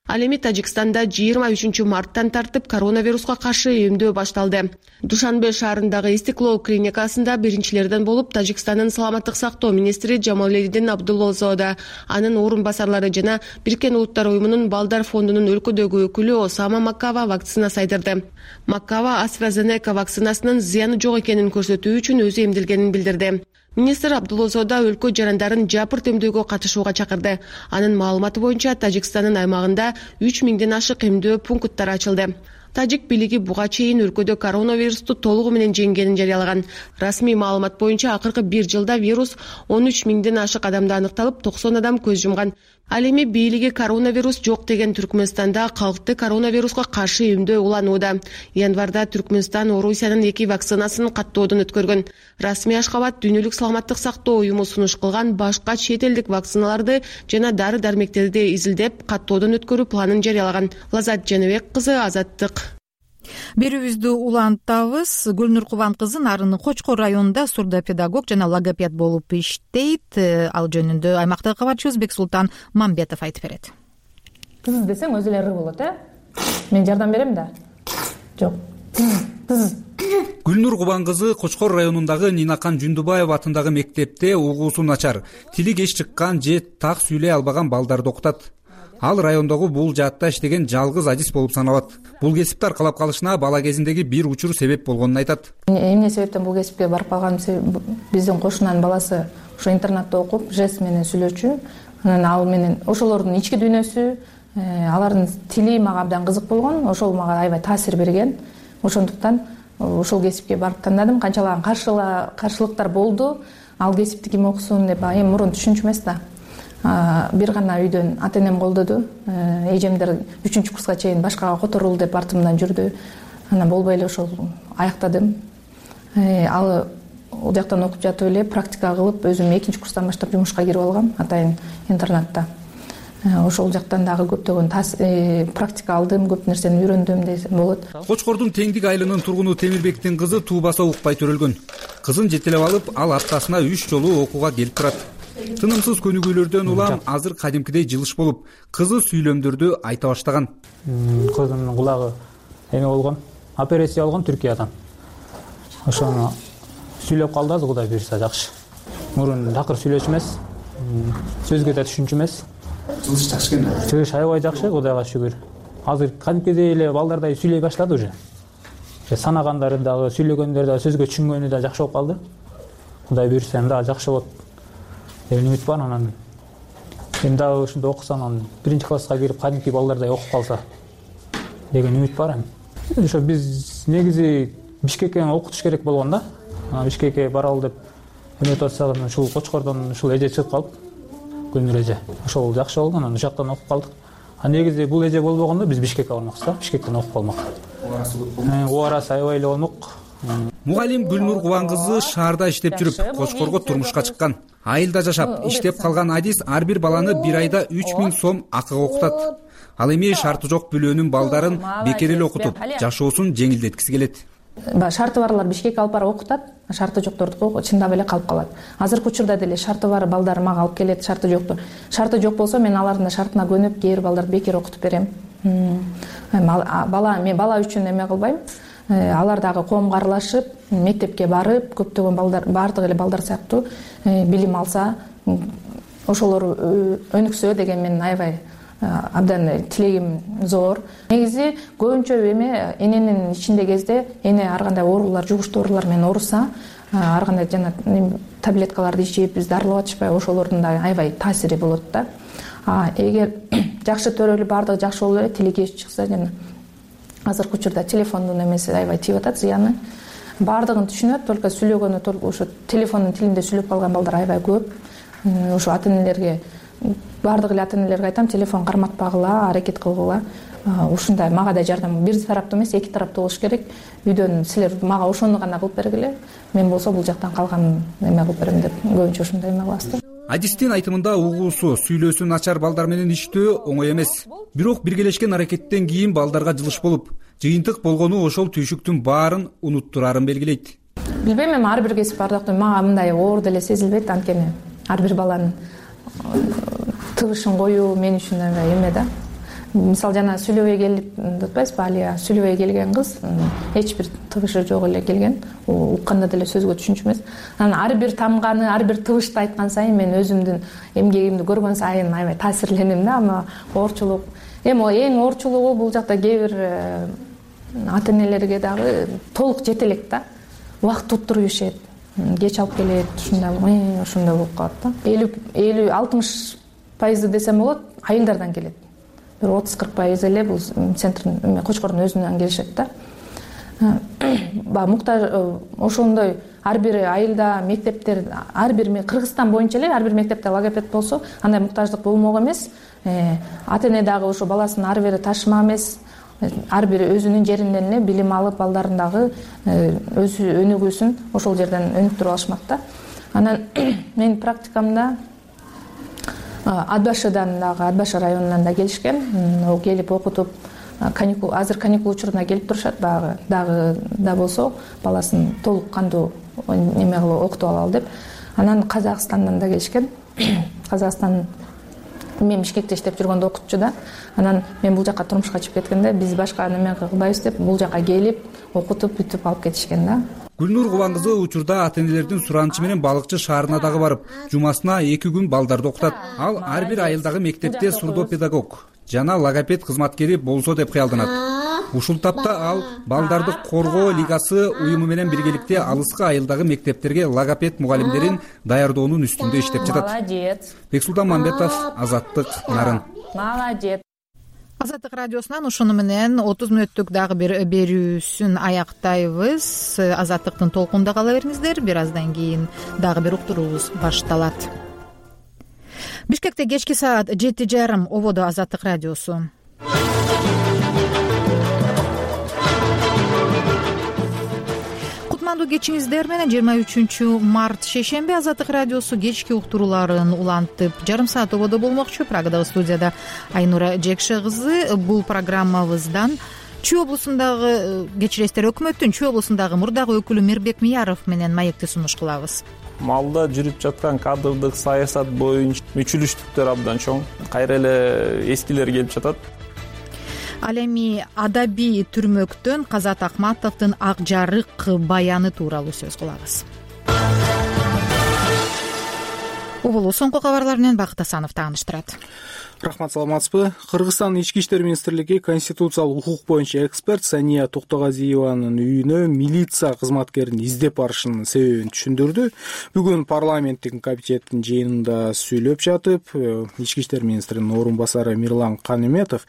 Ал эми Тажикстанда жыйырма үчүнчү марттан тартып коронавируска каршы эмдөө башталды. Душанбе шаарындагы Истиклол клиникасында биринчилерден болуп Тажикстандын саламаттык сактоо министри Жамаледдин Абдуллозода, анын орун басарлары жана Бириккен Улуттар уюмунун балдар фондунун өлкөдөгү өкүлү Осама Маккава вакцина сайдырды. Маккава AstraZeneca вакцинасынын зыяны жок экенин көрсөтүү үчүн өзү эмделгенин билдирди. Министр Абдуллозода өлкө жарандарын жапырт эмдөөгө катышууга чакырды. Анын маалыматы боюнча Тажикстандын аймагында үч миңден ашык эмдөө пункттары ачылды. Тажик бийлиги буга чейин өлкөдө коронавирусту толугу менен жеңгенин жарыялаган. Расмий маалымат боюнча акыркы бир жылда вирус он үч миңден ашык адамда аныкталып, токсон адам көз жумган. Ал эми бийлиги коронавирус жок деген Түркмөнстанда калкты коронавируска каршы эмдөө уланууда. Январда Түркмөнстан Орусиянын эки вакцинасын каттоодон өткөргөн. Расмий Ашкабад дүйнөлүк саламаттык сактоо уюму сунуш кылган башка чет элдик вакциналарды жана дары-дармектерди изилдеп каттоодон өткөрүү планын жарыялаган. Лазат Женебек кызы, Азаттык. Берүүбүздү улантабыз. Гүлнур Кубан кызы Нарынын Кочкор районунда сурдопедагог жана логопед болуп иштейт. Ал жөнүндө аймактагы кабарчыбыз Бексултан Мамбетов айтып берет. Кыз десең өзү эле ыры болот, э? Мен жардам берем да. Жок. Кыз. Гүлнур Кубан кызы Кочкор районундагы Нинакан Жундубаева атындагы мектепте угуусу начар, тили кеч чыккан же так сүйлөй албаган балдарды окутат. ал райондогу бул жаатта иштеген жалгыз адис болуп саналат. Бул кесипти аркалап калышына бала кезиндеги бир учур себеп болгонун айтат. Эмне себептен бул кесипке барып калганым, биздин кошунанын баласы ошо интернатта окуп, жест менен сүйлөчү. Анан ал менен ошолордун ички дүйнөсү, алардын тили мага абдан кызык болгон. Ошол мага аябай таасир берген. Ошондуктан ушул кесипке барып тандадым. Канчалаган каршылыктар болду. Ал кесипти ким окусун деп эми мурун түшүнчү эмес да. Бир гана үйдөн ата энем колдоду. Эжемдер үчүнчү курска чейин башкага которул деп артымдан жүрдү. Анан болбой эле ошол аяктадым. Ал ал жактан окуп жатып эле практика кылып, өзүм экинчи курстан баштап жумушка кирип алгам атайын интернатта. Ошол жактан дагы көптөгөн практика алдым, көп нерсени үйрөндүм десем болот. Кочкордун Теңдик айылынын тургуну Темирбектин кызы туубаса укпай төрөлгөн. Кызын жетелеп алып, ал аптасына үч жолу окууга келип турат. Тынымсыз көнүгүүлөрдөн улам азыр кадимкидей жылыш болуп, кызы сүйлөмдөрдү айта баштаган. Кызымдын кулагы эме болгон, операция болгон Түркиядан. Ошону сүйлөп калды, азыр Кудай буйрса жакшы. Мурун такыр сүйлөөчү эмес, сөзгө да түшүнчү эмес. Жылыш жакшы экен. Жылыш аябай жакшы, Кудайга шүгүр. Азыр кадимкидей эле балдардай сүйлөй баштады уже. Санагандары дагы, сүйлөгөндөрү дагы, сөзгө түшүнгөнү да жакшы болуп калды. Кудай буйрса эми дагы жакшы болот деген үмүт бар. Анан эми дагы ушунда окусам, анан биринчи класска кирип кадимки балдардай окуп калса деген үмүт бар. Ошо биз негизи Бишкекке окутуш керек болгон да. Бишкекке баралы деп үмүт атсак, ушул Кочкордон ушул эже чыгып калып, Гүлнур эже. Ошол жакшы болду, анан ушактан окуп калдык. А негизи бул эже болбогондо биз Бишкекке бармакчыбыз да, Бишкектен окуп калмак. Убарасы аябай эле болмок. Мугалим Гүлнур Кубан кызы шаарда иштеп жүрүп, Кочкорго турмушка чыккан. Айылда жашап, иштеп калган адис ар бир баланы бир айда үч миң сом акыга окутат. Ал эми шарты жок бүлөөнүн балдарын бекер эле окутуп, жашоосун жеңилдеткиси келет. Шарты барлар Бишкекке алып барып окутат, шарты жокторду чындап эле калып калат. Азыркы учурда деле шарты бар балдар мага алып келет, шарты жокту. Шарты жок болсо мен алардын шартына көнүп, кээ бир балдарды бекер окутуп берем. Бала, мен бала үчүн эме кылбайм. Алар дагы коомго аралашып, мектепке барып, көптөгөн балдар, баардык эле балдар сыяктуу билим алса, ошолор өнүксө деген менин аябай абдан тилегим зор. Негизи көбүнчө эме эненин ичинде кезде эне ар кандай оорулар, жугуштуу оорулар менен ооруса, ар кандай жана таблеткаларды ичип, бизди арылап атышпай, ошолордун да аябай таасири болот да. А эгер жакшы төрөлүп, баардыгы жакшы болуп эле, тили кеш чыкса, жана азыркы учурда телефондун эмеси аябай тийип атат, зыяны. Баардыгын түшүнөт, только сүйлөгөнү, только ошо телефондун тилинде сүйлөп калган балдар аябай көп. Ошо ата энелерге, баардык эле ата энелерге айтам, телефон карматпагыла, аракет кылгыла. Ушундай мага да жардам, бир тараптуу эмес, эки тараптуу болуш керек. Үйдөн силер мага ошону гана кылып бергиле, мен болсо бул жактан калганын эме кылып берем деп көбүнчө ушундай эме кылабыз да. Адистин айтымында угуусу, сүйлөөсү начар балдар менен иштөө оңой эмес. Бирок биргелешкен аракеттен кийин балдарга жылыш болуп, жыйынтык болгону ошол түйшүктүн баарын унуттурарын белгилейт. Билбейм, эми ар бир кесип бардыктын мага мындай оор деле сезилбейт, анткени ар бир баланын тыгышын коюу мен үчүн эме да. Мисалы жана сүйлөбөй келип деп атпайсызбы, Алия, сүйлөбөй келген кыз эч бир тыгышы жок эле келген. Укканда деле сөзгө түшүнчү эмес. Анан ар бир тамганы, ар бир тыгышты айткан сайын мен өзүмдүн эмгегимди көргөн сайын аябай таасирленем да. Ама оорчулук, эми эң оорчулугу бул жакта кээ бир ата энелерге дагы толук жете элек да. Убакыт туттуруп ишет, кеч алып келет, ушундай, ошондой болуп калат да. элүү алтымыш пайызы десем болот, айылдардан келет. Бир отуз кырк пайыз эле бул центрдин, Кочкордун өзүнөн келишет да. Ба муктаж ошондой ар бир айылда, мектептер, ар бир Кыргызстан боюнча эле ар бир мектепте логопед болсо, андай муктаждык болмок эмес. Ата эне дагы ошо баласын ары бери ташыма эмес, ар бир өзүнүн жеринен эле билим алып, балдарын дагы өзү өнүгүүсүн ошол жерден өнүктүрүп алышмак да. Анан менин практикамда Ат башыдан дагы, Ат башы районунан да келишкен. О келип окутуп, каникул, азыр каникул учуруна келип турушат, багы дагы да болсо баласын толук кандуу эме кылып окутуп алалы деп. Анан Казакстандан да келишкен. Казакстан мен Бишкекте иштеп жүргөндө окутчу да. Анан мен бул жака турмушка чыгып кеткенде биз башка неме кылбайбыз деп бул жака келип окутуп бүтүп алып кетишкен да. Гүлнур Кубан кызы учурда ата энелердин суранычы менен Балыкчы шаарына дагы барып, жумасына эки күн балдарды окутат. Ал ар бир айылдагы мектепте сурдопедагог, жана логопед кызматкери болсо деп кыялданат. Ушул тапта ал Балдарды коргоо лигасы уюму менен биргеликте алыскы айылдагы мектептерге логопед мугалимдерин даярдоонун үстүндө иштеп жатат. Молодец. Бексултан Мамбетов, Азаттык, Нарын. Молодец. Азаттык радиосунан ушуну менен отуз мүнөттүк дагы бир берүүсүн аяктайбыз. Азаттыктын толкунда кала бериңиздер. Бир аздан кийин дагы бир уктуруубуз башталат. Бишкекте кечки саат жети жарым ободо Азаттык радиосу. Кутмандуу кечиңиздер менен жыйырма үчүнчү март шейшемби Азаттык радиосу кечки уктурууларын улантып жарым саат ободо болмокчу. Прагадагы студияда Айнура Жекше кызы. Бул программабыздан Чүй облусундагы кечиресиздер өкмөттүн Чүй облусундагы мурдагы өкүлү Мирбек Мияров менен маекти сунуш кылабыз. Малда жүрүп жаткан кадрдык саясат боюнча мүчүлүштүктөр абдан чоң. Кайра эле эскилер келип жатат. Ал эми адабий түрмөктөн Казат Акматовдун ак жарык баяны тууралуу сөз кылабыз. Угулуу соңку кабарлар менен Бакыт Асанов тааныштырат. Рахмат, саламатсызбы? Кыргызстан Ички иштер министрлиги конституциялык укук боюнча эксперт Сания Токтогазиеванын үйүнө милиция кызматкерин издеп барышынын себебин түшүндүрдү. Бүгүн парламенттик комитеттин жыйынында сүйлөп жатып, Ички иштер министринин орун басары Мирлан Канеметов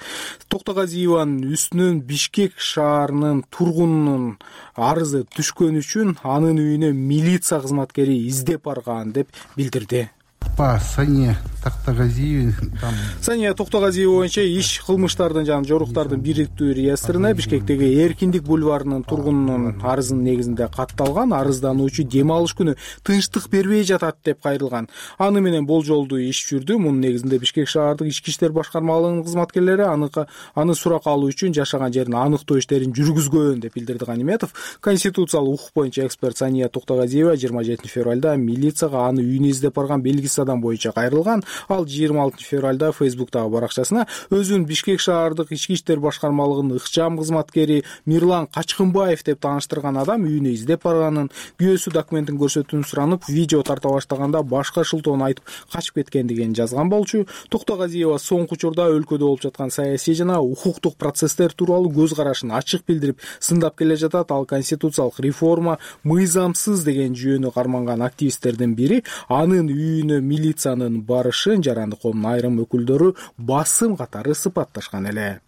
Токтогазиеванын үстүнөн Бишкек шаарынын тургунунун арызы түшкөн үчүн анын үйүнө милиция кызматкери издеп барган деп билдирди. По Сане Токтогазиеве там Сания Токтогазиева боюнча иш кылмыштардын жана жоруктардын бириктүү реестрине Бишкектеги Эркиндик бульварынын тургунунун арызынын негизинде катталган. Арыздануучу дем алыш күнү тынчтык бербей жатат деп кайрылган. Аны менен болжолдуу иш жүрдү. Мунун негизинде Бишкек шаардык ички иштер башкармалыгынын кызматкерлери аны аны сурак алуу үчүн жашаган жерин аныктоо иштерин жүргүзгөн деп билдирди Канеметов. Конституциялык укук боюнча эксперт Сания Токтогазиева жыйырма жетинчи февралда милицияга аны үйүнө издеп барган белгисиз адам боюнча кайрылган. Ал жыйырма алтынчы февралда Фейсбуктагы баракчасына өзүн Бишкек шаардык ички иштер башкармалыгынын ыкчам кызматкери Мирлан Качкынбаев деп тааныштырган адам үйүнө издеп барганын, күйөөсү документин көрсөтүүнү суранып, видео тарта баштаганда башка шылтоону айтып качып кеткендигин жазган болчу. Токтогазиева соңку учурда өлкөдө болуп жаткан саясий жана укуктук процесстер тууралуу көз карашын ачык билдирип, сындап келе жатат. Ал конституциялык реформа мыйзамсыз деген жүйөнү карманган активисттердин бири. Анын үйүнө милициянын барышын жарандык коомдун айрым өкүлдөрү басым катары сыпатташкан эле.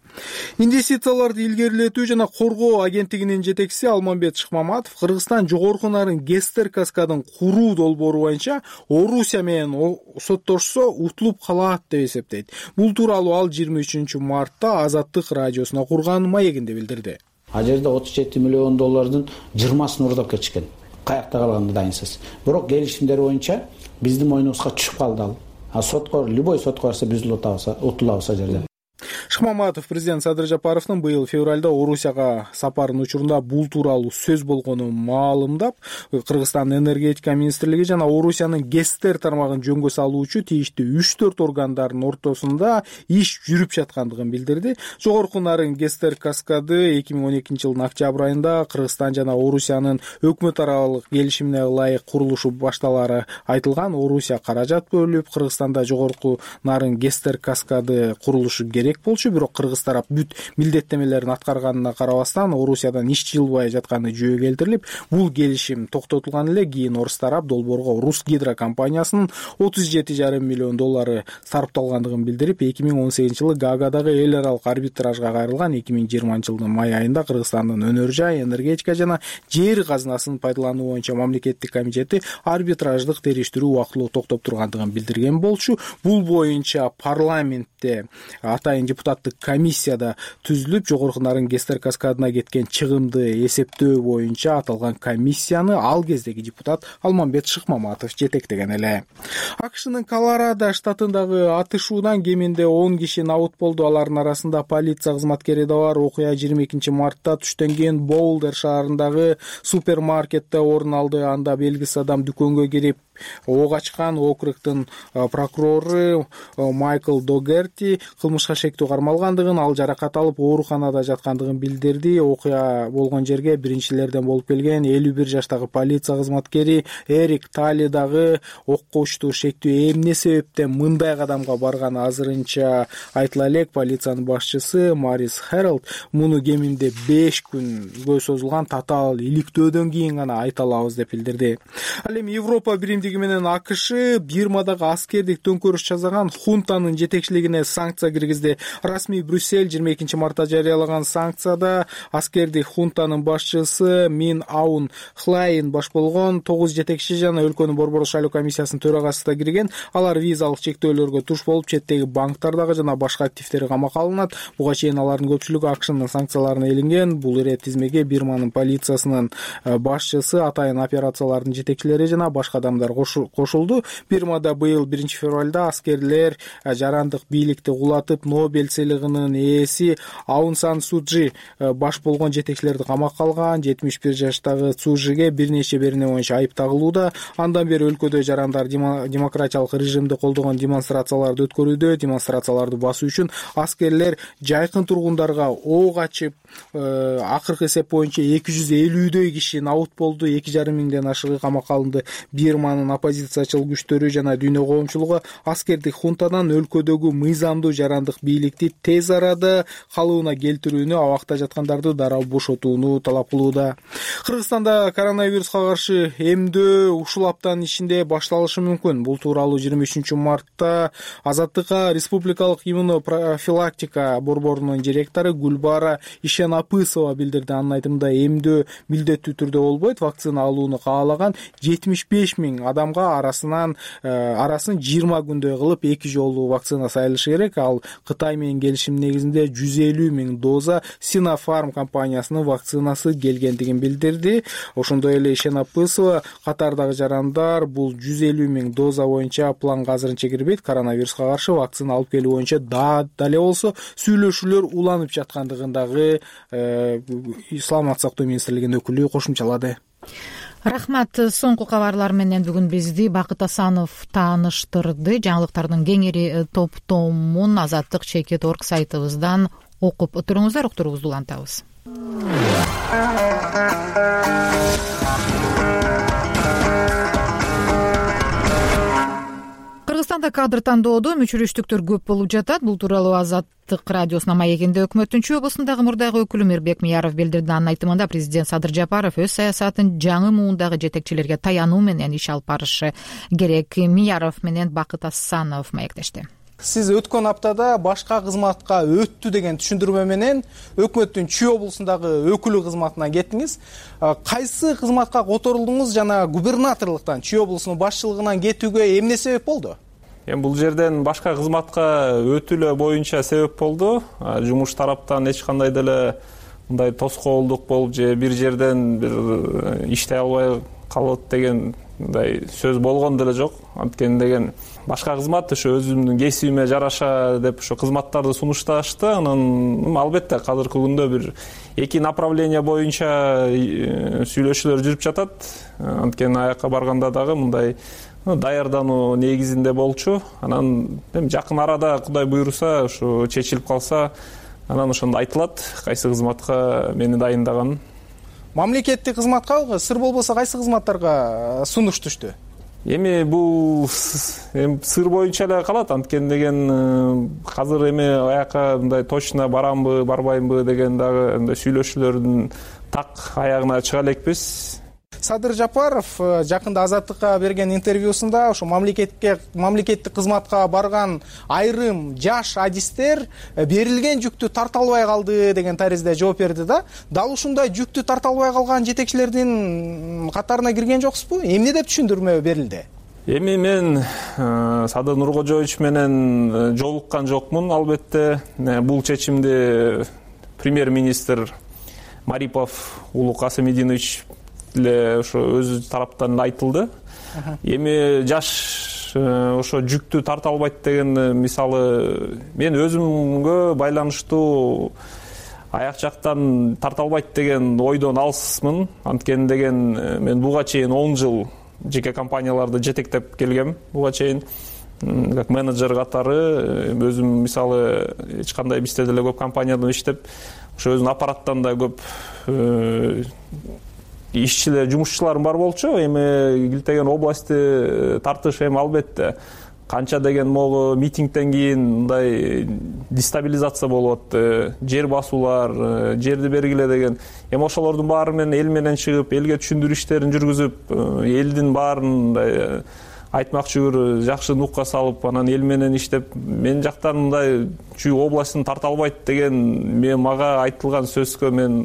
Инвестицияларды илгерилетүү жана коргоо агенттигинин жетекчиси Алмамбет Шыкмаматов Кыргызстан жогорку нарын Гестер каскадын куруу долбоору боюнча Орусия менен соттошсо утулуп калат деп эсептейт. Бул тууралуу ал жыйырма үчүнчү мартта Азаттык радиосуна курган маегинде билдирди. А жерде отуз жети миллион доллардын жыйырмасын уурдап кетишкен. Каякта калганды дайынсыз. Бирок келишимдер боюнча биздин мойнубузга түшүп калды ал. А сотко, любой сотко барса биз утулабыз ал жерде. Шыкмаматов президент Садыр Жапаровдун быйыл февралда Орусияга сапарынын учурунда бул тууралуу сөз болгонун маалымдап, Кыргызстандын энергетика министрлиги жана Орусиянын Гестер тармагын жөнгө салуучу тийиштүү үч төрт органдардын ортосунда иш жүрүп жаткандыгын билдирди. Жогорку нарын Гестер каскады эки миң он экинчи жылдын октябрь айында Кыргызстан жана Орусиянын өкмөт аралык келишимине ылайык курулушу башталары айтылган. Орусия каражат бөлүп, Кыргызстанда жогорку нарын Гестер каскады курулушу керек болчу, бирок кыргыз тарап бүт милдеттемелерин аткарганына карабастан Орусиядан иш жылбай жатканы жөө келтирилип, бул келишим токтотулган эле. Кийин орус тарап долбоорго Русгидро компаниясынын отуз жети жарым миллион доллары сарпталгандыгын билдирип, эки миң он сегизинчи жылы Гаагадагы эл аралык арбитражга кайрылган. эки миң жыйырманчы жылдын май айында Кыргызстандын өнөр жай, энергетика жана жер казынасын пайдалануу боюнча мамлекеттик комитети арбитраждык териштирүү убактылуу токтоп тургандыгын билдирген болчу. Бул боюнча парламентте атайын депутаттык комиссияда түзүлүп, жогорку нарын Гестер каскадына кеткен чыгымды эсептөө боюнча аталган комиссияны ал кездеги депутат Алмамбет Шыкмаматов жетектеген эле. АКШнын Колорадо штатындагы атышуудан кеминде он киши набыт болду. Алардын арасында полиция кызматкери да бар. Окуя жыйырма экинчи мартта түштөн кийин Боулдер шаарындагы супермаркетте орун алды. Анда белгисиз адам дүкөнгө кирип ок ачкан округдун прокурору Майкл Догерти кылмышка шектүү кармалгандыгын, ал жаракат алып ооруканада жаткандыгын билдирди. Окуя болгон жерге биринчилерден болуп келген элүү бир жаштагы полиция кызматкери Эрик Тали дагы окко учтуу шектүү эмне себептен мындай кадамга барганы азырынча айтыла элек. Полициянын башчысы Марис Хэролд муну кеминде беш күнгө созулган татаал иликтөөдөн кийин гана айта алабыз деп билдирди. Ал эми Европа биримдиги менен АКШ Бирмадагы аскердик төңкөрүш жасаган хунтанын жетекчилигине санкция киргизди. Расмий Брюссель жыйырма экинчи мартта жарыялаган санкцияда аскердик хунтанын башчысы Мин Аун Хлайн баш болгон тогуз жетекчи жана өлкөнүн борбордук шайлоо комиссиясынын төрагасы да кирген. Алар визалык чектөөлөргө туш болуп, четтеги банктардагы жана башка активдери камакка алынат. Буга чейин алардын көпчүлүгү АКШнын санкцияларына илинген. Бул ирет тизмеге Бирманын полициясынын башчысы, атайын операциялардын жетекчилери жана башка адамдар кошулду. Бирмада быйыл биринчи февралда аскерлер жарандык бийликти кулатып, Нобель сыйлыгынын ээси Аун Сан Суджи баш болгон жетекчилерди камакка алган. жетимиш бир жаштагы Цужиге бир нече берене боюнча айып тагылууда. Андан бери өлкөдө жарандар демократиялык режимди колдогон демонстрацияларды өткөрүүдө. Демонстрацияларды басуу үчүн аскерлер жайкын тургундарга ок ачып, акыркы эсеп боюнча эки жүз элүүдөй киши набут болду. эки жарым миңден ашыгы камакка алынды. Бирманын оппозициячыл күчтөрү жана дүйнө коомчулугу аскердик хунтадан өлкөдөгү мыйзамдуу жарандык бийликти тез арада калыбына келтирүүнү, абакта жаткандарды дароо бошотууну талап кылууда. Кыргызстанда коронавируска каршы эмдөө ушул аптанын ичинде башталышы мүмкүн. Бул тууралуу жыйырма үчүнчү мартта Азаттыкка республикалык иммунопрофилактика борборунун директору Гүлбара Ишенапысова билдирди. Анын айтымында эмдөө милдеттүү түрдө болбойт. Вакцина алууну каалаган жетимиш беш миң адамга арасынан арасын жыйырма күндөй кылып эки жолу вакцина сайылышы керек. Ал Кытай менен келишим негизинде жүз элүү миң доза Sinopharm компаниясынын вакцинасы келгендигин билдирди. Ошондой эле Ишенапысова катардагы жарандар бул жүз элүү миң доза боюнча планга азырынча кирбейт. Коронавируска каршы вакцина алып келүү боюнча да дале болсо сүйлөшүүлөр уланып жаткандыгын дагы Саламаттык сактоо министрлигинин өкүлү кошумчалады. Рахмат. Соңку кабарлар менен бүгүн бизди Бакыт Асанов тааныштырды. Жаңылыктардын кеңири топтомун Азаттык чекит точка орг сайтыбыздан окуп туруңуздар. Уктуруңузду улантабыз. Кыргызстанда кадр тандоодо мүчүрүштүктөр көп болуп жатат. Бул тууралуу Азаттык радиосунун маегинде өкмөттүн Чүй облусундагы мурдагы өкүлү Мирбек Мияров билдирди. Анын айтымында президент Садыр Жапаров өз саясатын жаңы муундагы жетекчилерге таянуу менен иш алып барышы керек. Мияров менен Бакыт Асанов маектешти. Сиз өткөн аптада башка кызматка өттү деген түшүндүрмө менен өкмөттүн Чүй облусундагы өкүлү кызматына кеттиңиз. Кайсы кызматка которулдуңуз жана губернаторлуктан Чүй облусунун башчылыгынан кетүүгө эмне себеп болду? Эми бул жерден башка кызматка өтүүлө боюнча себеп болду. Жумуш тараптан эч кандай деле мындай тоскоолдук болуп же бир жерден бир иштей албай калат деген мындай сөз болгон деле жок. Анткени деген башка кызмат ошо өзүмдүн кесибиме жараша деп ошо кызматтарды сунушташты. Анан албетте азыркы күндө бир эки направление боюнча сүйлөшүүлөр жүрүп жатат. Анткени аякка барганда дагы мындай даярдануу негизинде болчу. Анан эми жакын арада Кудай буйруса ошо чечилип калса, анан ошондо айтылат кайсы кызматка мени дайындаганын. Мамлекеттик кызматка сыр болбосо кайсы кызматтарга сунуш түштү? Эми бул эми сыр боюнча эле калат. Анткени деген азыр эми аякка мындай точно барамбы, барбаймбы деген дагы мындай сүйлөшүүлөрдүн так аягына чыга элекпиз. Садыр Жапаров жакында Азаттыкка берген интервьюсунда ошо мамлекетке мамлекеттик кызматка барган айрым жаш адистер берилген жүктү тарта албай калды деген таризде жооп берди да. Дал ушундай жүктү тарта албай калган жетекчилердин катарына кирген жоксузбу? Эмне деп түшүндүрмө берилди? Эми мен Садыр Нуркожоевич менен жолуккан жокмун. Албетте бул чечимди премьер-министр Марипов Улуу Касымидинович эле ошо өз тараптан айтылды. Эми жаш ошо жүктү тарта албайт деген мисалы мен өзүмгө байланыштуу аяк жактан тарта албайт деген ойдон алысмын. Анткени деген мен буга чейин он жыл жеке компанияларды жетектеп келгем буга чейин как менеджер катары. Өзүм мисалы эч кандай бизде деле көп компанияда иштеп, ошо өзүнүн аппараттан да көп ишчилер, жумушчуларым бар болчу. Эми килтеген областы тартыш эми албетте канча деген могу митингден кийин мындай дестабилизация болуп атты, жер басуулар, жерди бергиле деген. Эми ошолордун баары менен эл менен чыгып, элге түшүндүрүү иштерин жүргүзүп, элдин баарын мындай айтмакчыбыр жакшы нукка салып, анан эл менен иштеп, мен жактан мындай чүй областын тарта албайт деген мен мага айтылган сөзгө мен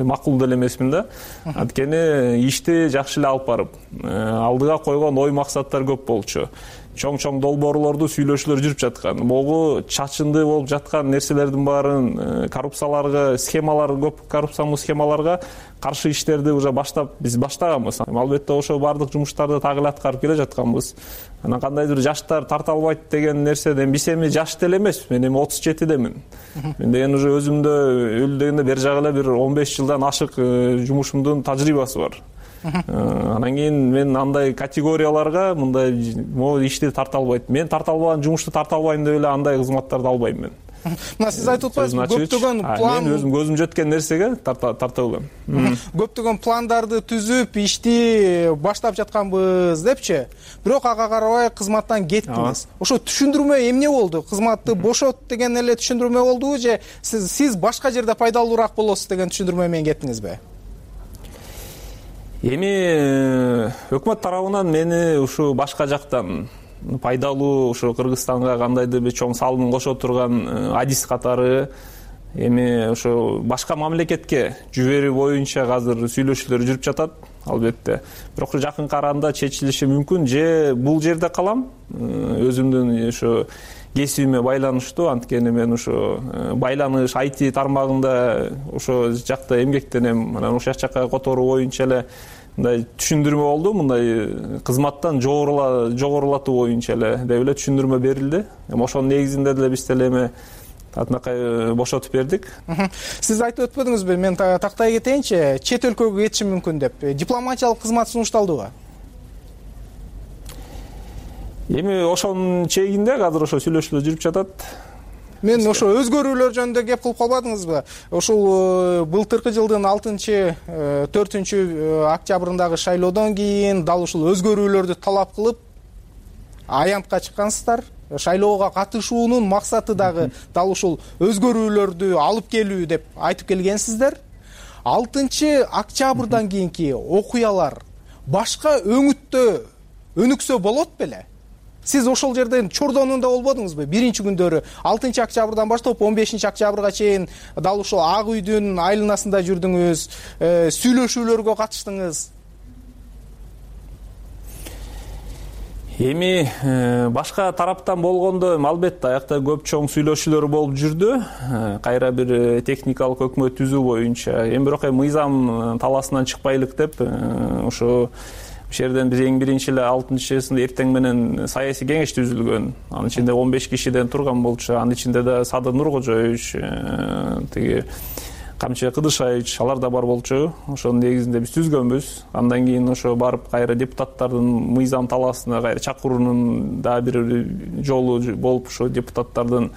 макул деле эмесмин да. Анткени ишти жакшы эле алып барып, алдыга койгон ой максаттар көп болчу. Чоң-чоң долбоорлорду сүйлөшүүлөр жүрүп жаткан. Могу чачынды болуп жаткан нерселердин баарын, коррупцияларга, схемалар, көп коррупциялык схемаларга каршы иштерди уже баштап биз баштаганбыз. Албетте ошо бардык жумуштарды так эле аткарып келе жатканбыз. Анан кандайдыр жаштар тарта албайт деген нерседен биз эми жаш деле эмеспиз. Мен эми отуз жетидемин. Мен деген уже өзүмдө өлү дегенде бери жагы эле бир он беш жылдан ашык жумушумдун тажрыйбасы бар. Анан кийин мен андай категорияларга мындай могу ишти тарта албайт. Мен тарта албаган жумушту тарта албайм деп эле андай кызматтарды албайм мен. Мына сиз айтып атпайсызбы, көптөгөн план, мен өзүм көзүм жеткен нерсеге тарта тарта алам. Көптөгөн пландарды түзүп, ишти баштап жатканбыз депчи. Бирок ага карабай кызматтан кеттиңиз. Ошо түшүндүрмө эмне болду? Кызматты бошот деген эле түшүндүрмө болдубу же сиз башка жерде пайдалуураак болосуз деген түшүндүрмө менен кеттиңизби? Эми өкмөт тарабынан мени ушу башка жактан пайдалуу ушу Кыргызстанга кандайдыр бир чоң салымын кошо турган адис катары эми ошо башка мамлекетке жиберүү боюнча азыр сүйлөшүүлөр жүрүп жатат, албетте. Бирок жакынкы арада чечилиши мүмкүн, же бул жерде калам, өзүмдүн ошо кесибиме байланыштуу, анткени мен ошо байланыш ай ти тармагында ошо жакта эмгектенем. Анан ошол жакка которуу боюнча эле мындай түшүндүрмө болду, мындай кызматтан жогорулатуу боюнча эле деп эле түшүндүрмө берилди. Эми ошонун негизинде деле биз деле эми атынакай бошотуп бердик. Сиз айтып өтпөдүңүзбү, мен тактай кетейинчи, чет өлкөгө кетишим мүмкүн деп. Дипломатиялык кызмат сунушталдыбы? Эми ошонун чегинде азыр ошо сүйлөшүүлөр жүрүп жатат. Мен ошо өзгөрүүлөр жөнүндө кеп кылып калбадыңызбы? Ошол былтыркы жылдын алтынчы төртүнчү октябрындагы шайлоодон кийин дал ушул өзгөрүүлөрдү талап кылып аянтка чыккансыздар. Шайлоого катышуунун максаты дагы дал ушул өзгөрүүлөрдү алып келүү деп айтып келгенсиздер. алтынчы октябрдан кийинки окуялар башка өңүттө өнүксө болот беле? Сиз ошол жерден Чордонунда болбодуңузбу? Биринчи күндөрү алтынчы октябрдан баштап он бешинчи октябрга чейин дал ушул Ак үйдүн айланасында жүрдүңүз, сүйлөшүүлөргө катыштыңыз. Эми башка тараптан болгондо албетте аякта көп чоң сүйлөшүүлөр болуп жүрдү. Кайра бир техникалык өкмөт түзүү боюнча. Эми бирок мыйзам талаасынан чыкпайлык деп ошо ошол жерден биз эң биринчи эле алтынчысында эртең менен саясий кеңеш түзүлгөн. Анын ичинде он беш кишиден турган болчу. Анын ичинде да Садыр Нуркожоевич, тиги Камчы Кыдышаевич алар да бар болчу. Ошонун негизинде биз түзгөнбүз. Андан кийин ошо барып кайра депутаттардын мыйзам талаасына кайра чакыруунун да бир жолу болуп ошо депутаттардын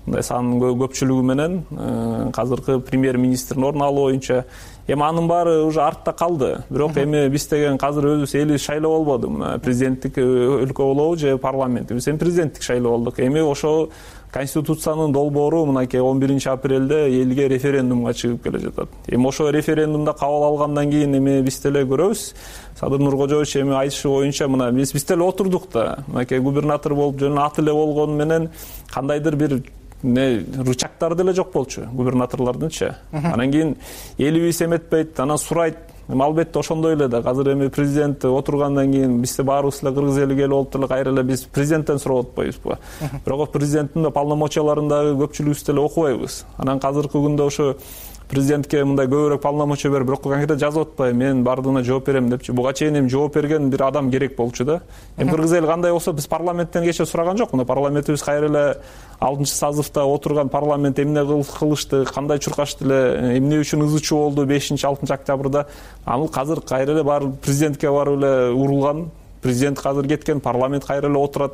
мындай санынын көпчүлүгү менен азыркы премьер-министрдин ордун алуу боюнча. Эми анын баары уже артта калды. Бирок эми биз деген азыр өзүбүз элибиз шайлоо болбоду. Мына президенттик өлкө болобу же парламент. Биз эми президенттик шайлоо болдук. Эми ошо Конституциянын долбоору мынакей он биринчи апрелде элге референдумга чыгып келе жатат. Эми ошо референдумда кабыл алгандан кийин эми биз деле көрөбүз. Садыр Нуркожоевич эми айтышы боюнча мына биз биз деле отурдук да. Мынакей губернатор болуп жөн аты эле болгону менен кандайдыр бир не рычагтары деле жок болчу губернаторлордунчу. Анан кийин элибиз эметпейт, анан сурайт. Албетте ошондой эле да азыр эми президент отургандан кийин бизде баарыбыз эле кыргыз элиге болуп эле кайра эле биз президенттен сурап атпайбызбы? Бирок президенттин полномочияларындагы көпчүлүгүбүз деле окубайбыз. Анан азыркы күндө ошо президентке мындай көбүрөөк полномочия берип, бирок конкрет жазып атпай, мен бардыгына жооп берем депчи. Буга чейин эми жооп берген бир адам керек болчу да. Эми кыргыз эли кандай болсо биз парламенттен кече сураган жок. Мына парламентибиз кайра эле алтынчы созывда отурган парламент эмне кылышты, кандай чуркашты эле, эмне үчүн ызы чуу болду бешинчи алтынчы октябрда. Ал азыр кайра эле барып президентке барып эле урулган. президент азыр кеткен, парламент кайра эле отурат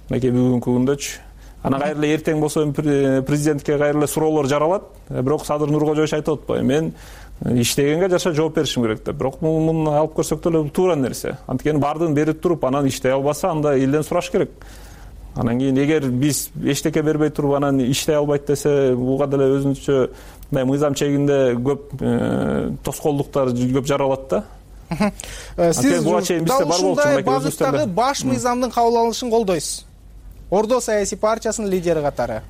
мынакей бүгүнкү күндөчү. Анан кайра эле эртең болсо президентке кайра эле суроолор жаралат. Бирок Садыр Нуркожоевич айтып атпайбы, мен иштегенге жараша жооп беришим керек деп. Бирок муну алып көрсөк деле туура нерсе. Анткени баардыгын берип туруп, анан иштей албаса, анда элден сураш керек. Анан кийин эгер биз эчтеке бербей туруп анан иштей албайт десе, буга деле өзүнчө мындай мыйзам чегинде көп тоскоолдуктар көп жаралат да. Сиз дал ушундай багыттагы баш мыйзамдын кабыл алынышын колдойсуз. Ордо саясий партиясынын лидери катары.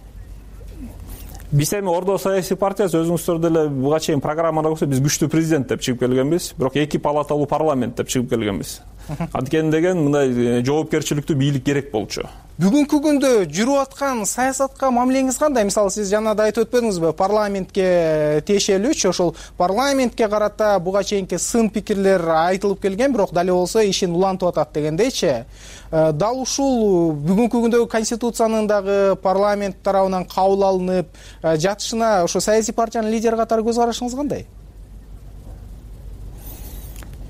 Биз эми Ордо саясий партиясы өзүңүздөр деле буга чейин программада көрсө биз күчтүү президент деп чыгып келгенбиз, бирок эки палаталуу парламент деп чыгып келгенбиз. Анткени деген мындай жоопкерчиликтүү бийлик керек болчу. Бүгүнкү күндө жүрүп аткан саясатка мамилеңиз кандай? Мисалы, сиз жана да айтып өтпөдүңүзбү, парламентке тиешелүүчү, ошол парламентке карата буга чейинки сын пикирлер айтылып келген, бирок дали болсо ишин улантып атат дегендейчи. Дал ушул бүгүнкү күндөгү конституциянын дагы парламент тарабынан кабыл алынып жатышына ошо саясий партиянын лидери катары көз карашыңыз кандай?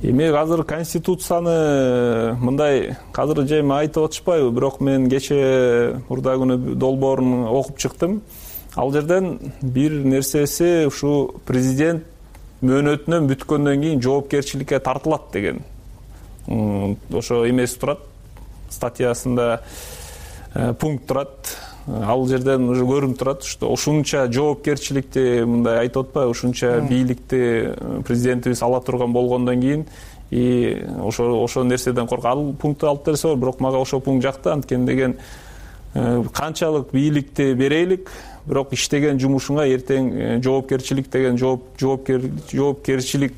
Эми азыр конституцияны мындай азыр же айтып атышпайбы, бирок мен кечээ мурда күнү долбоорун окуп чыктым. Ал жерден бир нерсеси ушу президент мөөнөтүнөн бүткөндөн кийин жоопкерчиликке тартылат деген. Ошо эмеси турат, статьясында пункт турат. Ал жерден уже көрүнүп турат, что ушунча жоопкерчиликти мындай айтып атпайбы, ушунча бийликти президентибиз ала турган болгондон кийин и ошо ошо нерседен коркуп, ал пунктты алып берсе болот, бирок мага ошол пункт жакты. Анткени деген канчалык бийликти берейлик, бирок иштеген жумушуңа эртең жоопкерчилик деген жоопкер жоопкерчилик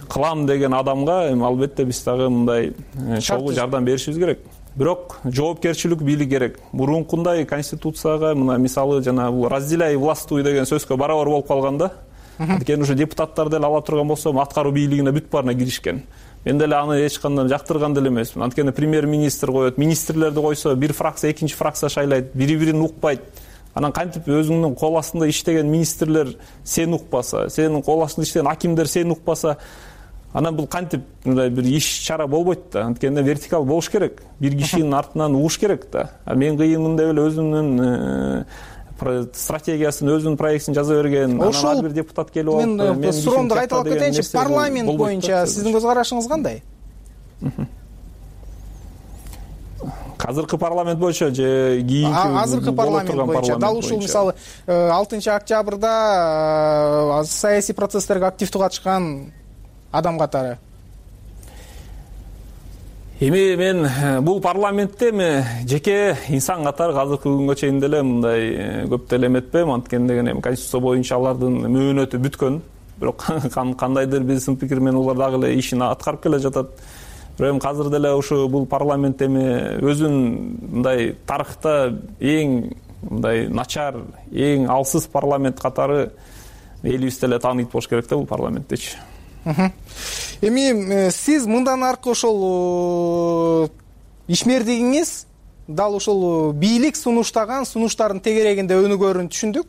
кылам деген адамга албетте биз дагы мындай чогуу жардам беришибиз керек. Бирок жоопкерчилик бийлик керек. Мурункундай конституцияга мына мисалы жана бул разделяй властвуй деген сөзгө барабар болуп калганда, анткени уже депутаттар деле ала турган болсо, аткаруу бийлигине бүт баарына киришкен. Мен деле аны эч кандай жактырган деле эмесмин. Анткени премьер-министр коет, министрлерди койсо, бир фракция экинчи фракция шайлайт, бири-бирин укпайт. Анан кантип өзүңдүн кол астында иштеген министрлер сени укпаса, сенин кол астында иштеген акимдер сени укпаса, анан бул кантип мындай бир иш чара болбойт да. Анткени вертикал болуш керек. Бир кишинин артынан угуш керек да. Мен кыйынмын деп эле өзүнүн стратегиясын, өзүнүн проектин жаза берген, анан ар бир депутат келип алып, мен суроомду кайталап кетейинчи. Парламент боюнча сиздин көз карашыңыз кандай? Азыркы парламент боюнча же кийинки азыркы парламент боюнча дал ушул мисалы алтынчы октябрда саясий процесстерге активдүү катышкан адам катары. Эми мен бул парламентте эми жеке инсан катары азыркы күнгө чейин деле мындай көп деле эметпейм. Анткени деген эми конституция боюнча алардын мөөнөтү бүткөн. Бирок кандайдыр бир сын пикир менен улар дагы эле ишин аткарып келе жатат. Бирок эми азыр деле ушу бул парламент эми өзүн мындай тарыхта эң мындай начар, эң алсыз парламент катары элибиз деле тааныйт болуш керек да бул парламенттечи. Эми сиз мындан аркы ошол ишмердигиңиз дал ошол бийлик сунуштаган сунуштардын тегерегинде өнүгөрүн түшүндүк.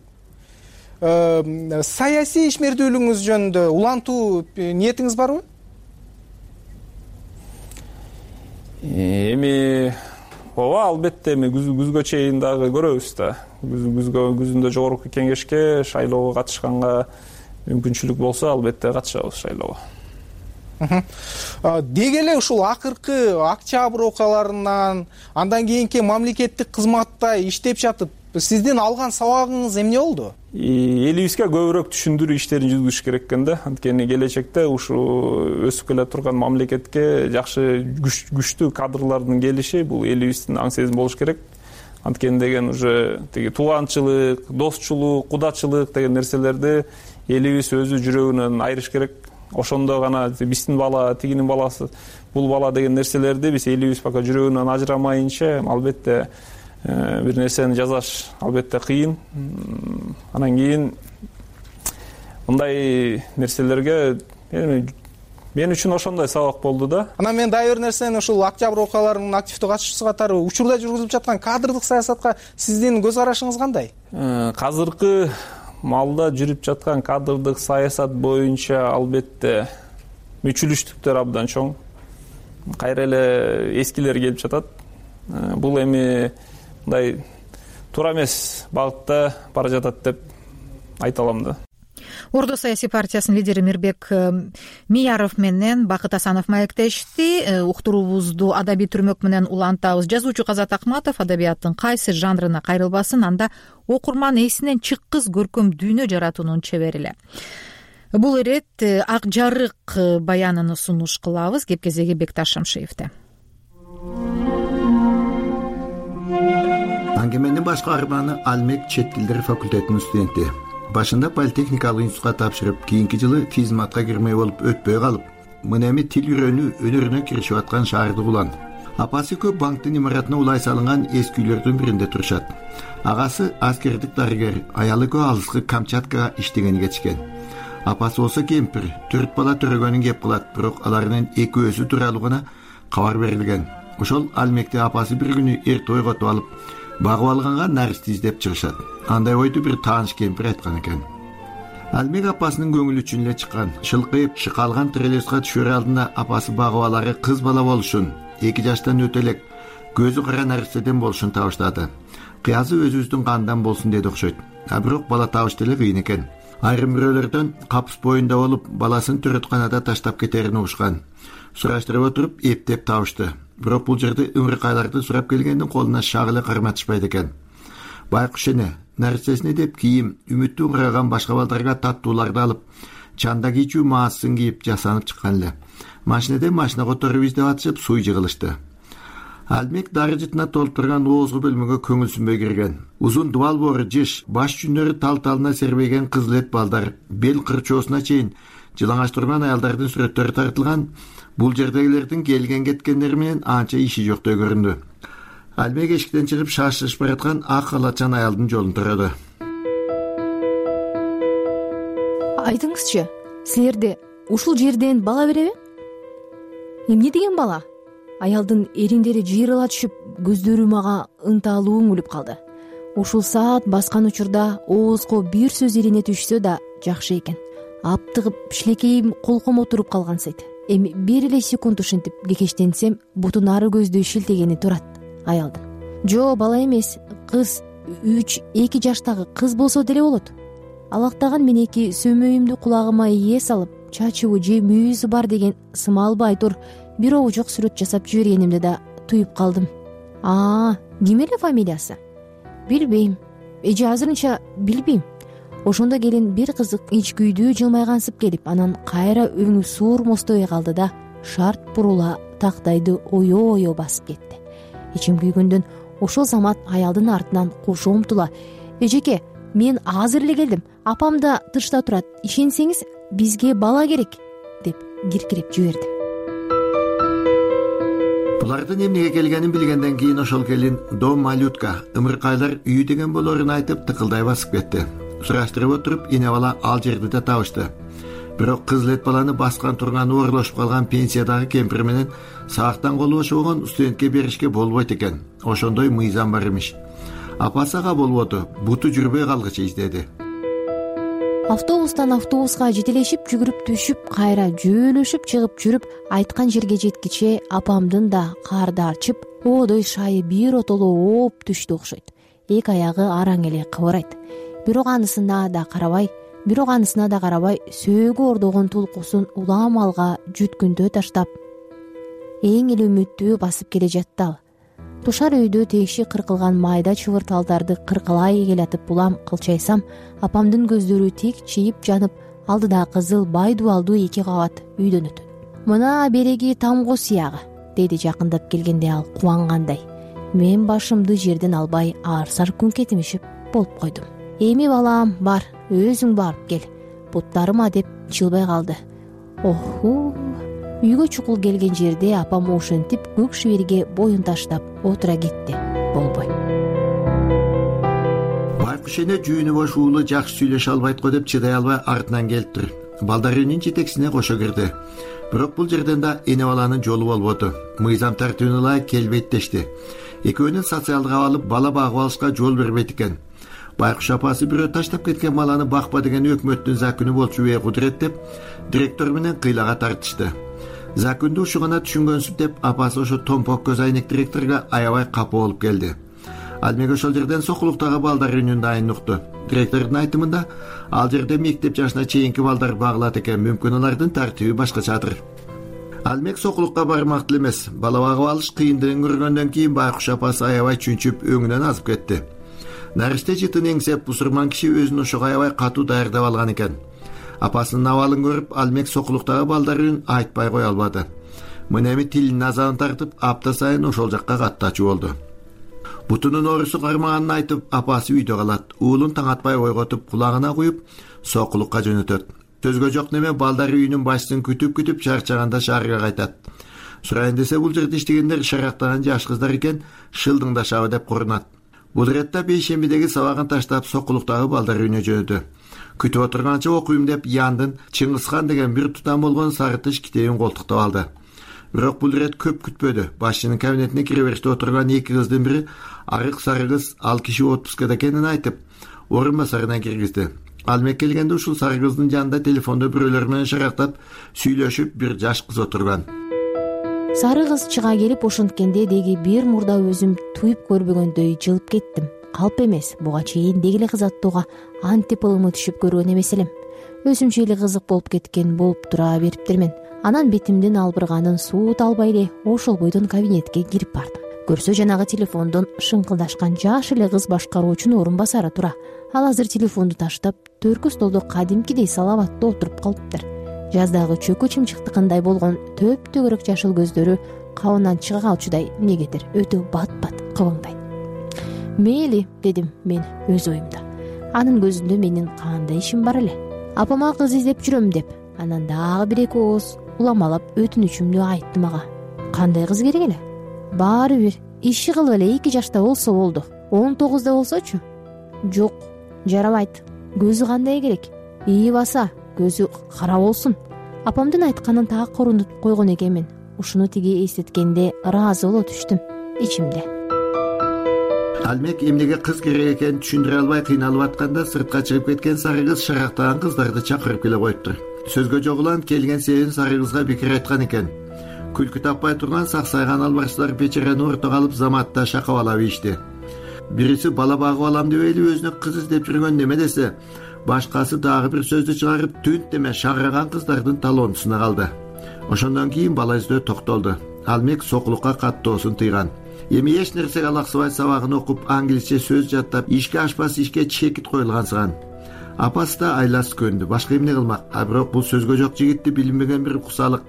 Саясий ишмердүүлүгүңүз жөнүндө улантуу ниетиңиз барбы? Эми ооба, албетте эми күзгө чейин дагы көрөбүз да. Күзгө күзүндө жогорку кеңешке шайлоого катышканга мүмкүнчүлүк болсо, албетте катышабыз шайлоого. Деги эле ушул акыркы октябрь окуяларынан андан кийинки мамлекеттик кызматта иштеп жатып, сиздин алган сабагыңыз эмне болду? Элибизге көбүрөөк түшүндүрүү иштерин жүргүзүш керек экен да. Анткени келечекте ушу өсүп келе турган мамлекетке жакшы күчтүү кадрлардын келиши бул элибиздин аң сезим болуш керек. Анткени деген уже тиги тууганчылык, достчулук, кудачылык деген нерселерди элибиз өзү жүрөгүнөн айырыш керек. Ошондо гана биздин бала, тигинин баласы, бул бала деген нерселерди биз элибиз пока жүрөгүнөн ажырамайынча, албетте бир нерсени жасаш албетте кыйын. Анан кийин мындай нерселерге мен үчүн ошондой сабак болду да. Анан мен дагы бир нерсени ушул октябрь окуяларынын активдүү катышуучусу катары учурда жүргүзүлүп жаткан кадрдык саясатка сиздин көз карашыңыз кандай? Азыркы малда жүрүп жаткан кадрдык саясат боюнча албетте мүчүлүштүктөр абдан чоң. кайра эле эскилер келип жатат. Бул эми мындай туура эмес багытта бара жатат деп айта алам да. Ордо саясий партиясынын лидери Мирбек Мияров менен Бакыт Асанов маектешти. Уктуруубузду адабий түрмөк менен улантабыз. Жазуучу Казат Акматов адабияттын кайсы жанрына кайрылбасын, анда окурман эсинен чыккыс көркөм дүйнө жаратуунун чебери эле. Бул ирет Ак жарык баянын сунуш кылабыз. Кеп кезеги Бекташ Шамшиевде. Аңгеменин башкарманы Алмек чет тилдер факультетинин студенти. Башында политехникалык институтка тапшырып, кийинки жылы физматка кирмей болуп өтпөй калып, мына эми тил үйрөнүү өнөрүнө киришип аткан шаардык улан. Апасы көп банктын имаратына улай салынган эски үйлөрдүн биринде турушат. Агасы аскердик дарыгер, аялы көө алыскы Камчаткага иштегени кетишкен. Апасы болсо кемпир, төрт бала төрөгөнүн кеп кылат, бирок алардын экөөсү тууралуу гана кабар берилген. Ошол Алмекте апасы бир күнү эрте ойготуп алып, багып алганга наристи издеп чыгышат. Андай ойду бир тааныш кемпир айткан экен. Алмек апасынын көңүлү үчүн эле чыккан. Шылкыйып шыкалган трелеска түшөр алдында апасы багып алары кыз бала болушун, эки жаштан өтө элек, көзү кара наристеден болушун табыштады. Кыязы өзүбүздүн кандан болсун деди окшойт. А бирок бала табыш деле кыйын экен. Айрым бирөөлөрдөн капыс боюнда болуп, баласын төрөтканада таштап кетерин угушкан. Сураштырып отуруп эптеп табышты. Бирок бул жерде ыңрыкайларды сурап келгендин колуна шак эле карматышпайт экен. Байкуш эне наристесине деп кийим, үмүттү ыңраган башка балдарга таттууларды алып, чанда кийчүү маасын кийип жасанып чыккан эле. Машинеде машина которуп издеп атышып суй жыгылышты. Алмек дары жытына толуп турган оозгу бөлмөгө көңүлсүнбөй кирген. Узун дубал боору жыш, баш жүннөрү тал-талына сербейген кызыл эт балдар, бел кырчоосуна чейин жылаңач турган аялдардын сүрөттөрү тартылган. Бул жердегилердин келген кеткендери менен анча иши жоктой көрүндү. Алмек эшиктен чыгып шашылышып бараткан ак халатчан аялдын жолун тураду. Айтыңызчы, силерде ушул жерден бала береби? Эмне деген бала? Аялдын эриндери жыйрыла түшүп, көздөрү мага ынталуу үңүлүп калды. Ушул саат баскан учурда оозго бир сөз ирине түшсө да жакшы экен. Аптыгып шилекейим колкомо туруп калгансыйт. Эми бир эле секунд ушинтип кекештенсем, бутун ары көздөй шилтегени турат аялдын. Жо, бала эмес, кыз, үч эки жаштагы кыз болсо деле болот. Алактаган менеки сөмөйүмдү кулагыма ие салып, чачыбы же мүйүзү бар деген сымалбай тур бир обужок сүрөт жасап жибергенимде да туюп калдым. Аа, ким эле фамилиясы? Билбейм. Эже азырынча билбейм. Ошондо келин бир кызык ичкүйдүү жылмайгансып келип, анан кайра өңү суурмостой калды да шарт бурула тактайды оё-оё басып кетти. Ичим күйгөндөн ошол замат аялдын артынан кошо умтула: "Эжеке, мен азыр эле келдим. Апам да тышта турат. Ишенсеңиз, бизге бала керек", деп киркирип жиберди. Булардын эмнеге келгенин билгенден кийин ошол келин дом малютка, ымыркайлар үйү деген болоорун айтып тыкылдай басып кетти. Сураштырып отуруп, эне бала ал жерди да табышты. Бирок кызыл эт баланы баскан турган оорлошуп калган пенсиядагы кемпир менен саактан колу бошобогон студентке беришке болбойт экен. Ошондой мыйзам бар эмиш. Апасы ага болбоду, буту жүрбөй калгыча издеди. Автобустан автобуска жетелешип жүгүрүп түшүп, кайра жөөлөшүп чыгып жүрүп, айткан жерге жеткиче апамдын да карды арчып, оодой шайы бир отоло ооп түштү окшойт. Эки аягы араң эле кыбырайт. Бирок анысына да карабай, бирок анысына да карабай, сөөгү ордогон тулкусун улам алга жүткүндө таштап, эң эле үмүттүү басып келе жатты ал. Тушар өйдө тегиши кыркылган майда чыбырталдарды кыркылай келатып улам кылчайсам, апамдын көздөрү тик чийип жанып, алдыда кызыл бай дубалдуу эки кабат үйдөн өтөт. "Мына береги тамго сыягы", деди жакындап келгенде ал кубангандай. Мен башымды жерден албай аар-саар күн кетимишип болуп койдум. "Эми балам, бар, өзүң барып кел. Буттарыма" деп жылбай калды. Оху. Үйгө чукул келген жерде апам ошентип көк шиберге боюн таштап отура кетти. Болбой. Байкуш эне жүүнү бош уулу жакшы сүйлөшө албайт го деп чыдай албай артынан келиптир. Балдар үйүнүн жетексине кошо кирди. Бирок бул жерден да эне баланын жолу болбоду. Мыйзам тартибине ылайык келбейт дешти. Экөөнүн социалдык абалы бала багып алышка жол бербейт экен. Байкуш апасы бирөө таштап кеткен баланы бакпа деген өкмөттүн закону болчу бе кудурет деп директор менен кыйлага тартышты. Закунду ушу гана түшүнгөнсүп деп апасы ошо томпок көз айнек директорго аябай капа болуп келди. Алмек ошол жерден Сокулуктагы балдар үйүнүн дайын укту. Директордун айтымында ал жерде мектеп жашына чейинки балдар багылат экен, мүмкүн алардын тартиби башкачадыр. Алмек Сокулукка бармактуу эмес. Бала багып алыш кыйындыгын көргөндөн кийин байкуш апасы аябай чүнчүп өңүнөн азып кетти. Нарыште жытын эңсеп бусурман киши өзүн ошого аябай катуу даярдап алган экен. Апасынын абалын көрүп, Алмек Сокулуктагы балдар үйүн айтпай кое албады. Мына эми тилинин азабын тартып, апта сайын ошол жакка каттачу болду. Бутунун оорусу кармаганын айтып, апасы үйдө калат. Уулун таң атпай ойготуп, кулагына куюп, Сокулукка жөнөтөт. Сөзгө жок неме балдар үйүнүн башчысын күтүп-күтүп чарчаганда шаарга кайтат. Сурайын десе бул жерде иштегендер шарактаган жаш кыздар экен, шылдыңдашабы деп корунат. Бул иретте бейшембидеги сабагын таштап Сокулуктагы балдар үйүнө жөнөдү. Күтүп отурганча окуйм деп Яндын Чыңгызхан деген бир тутам болгон сары тыш китебин колтуктап алды. Бирок бул ирет көп күтпөдү. Башчынын кабинетине кире бериште отурган эки кыздын бири арык сары кыз ал киши отпускада экенин айтып, орун басарына киргизди. Алмек келгенде ушул сары кыздын жанында телефондо бирөөлөр менен шарактап сүйлөшүп бир жаш кыз отурган. Сары кыз чыга келип ошонткенде деги бир мурда өзүм туюп көрбөгөндөй жылып кеттим. Калп эмес, буга чейин дегеле кыз аттууга антип ылымы түшүп көргөн эмес элем. Өзүмчө эле кызык болуп кеткен болуп тура бериптермен. Анан бетимдин албырганын суут албай эле ошол бойдон кабинетке кирип бардым. Көрсө жанагы телефондон шыңкылдашкан жаш эле кыз башкаруучунун орун басары тура. Ал азыр телефонду таштап, төркү столдо кадимкидей салабаттуу отуруп калыптыр. Жаздагы чөкү чымчыктыкындай болгон төп-төгөрөк жашыл көздөрү кабынан чыга калчудай эмнегедир өтө бат-бат кыбыңдайт. Мейли, дедим мен өз оюмда. Анын көзүндө менин кандай ишим бар эле? Апама кыз издеп жүрөм деп, анан дагы бир эки ооз уламалап өтүнүчүмдү айттым ага. Кандай кыз керек эле? Баары бир иши кылып эле эки жашта болсо болду. он тогузда болсочу? Жок, жарабайт. Көзү кандай керек? ИИ баса, көзү кара болсун. Апамдын айтканын так орундутуп койгон экенмин. Ушуну тиги эстеткенде ыраазы боло түштүм ичимде. Алмек эмнеге кыз керек экенин түшүндүрө албай кыйналып атканда сыртка чыгып кеткен сары кыз шарактаган кыздарды чакырып келе коюптур. Сөзгө жогулан келген себебин сары кызга бекер айткан экен. Күлкү таппай турган саксайган албарчылар печерени ортого алып заматта шакабалап ийишти. Бириси бала багып алам деп эле өзүнө кыз издеп жүргөн неме десе, башкасы дагы бир сөздү чыгарып түнт деме шагыраган кыздардын талоонусуна калды. Ошондон кийин бала издөө токтолду. Алмек Сокулукка каттоосун тыйган. Эми эч нерсеге алаксыбай сабагын окуп, англисче сөз жаттап, ишке ашпас ишке чекит коюлгансыган. Апасы да айласы көндү, башка эмне кылмак? А бирок бул сөзгө жок жигитти билинбеген бир кусалык.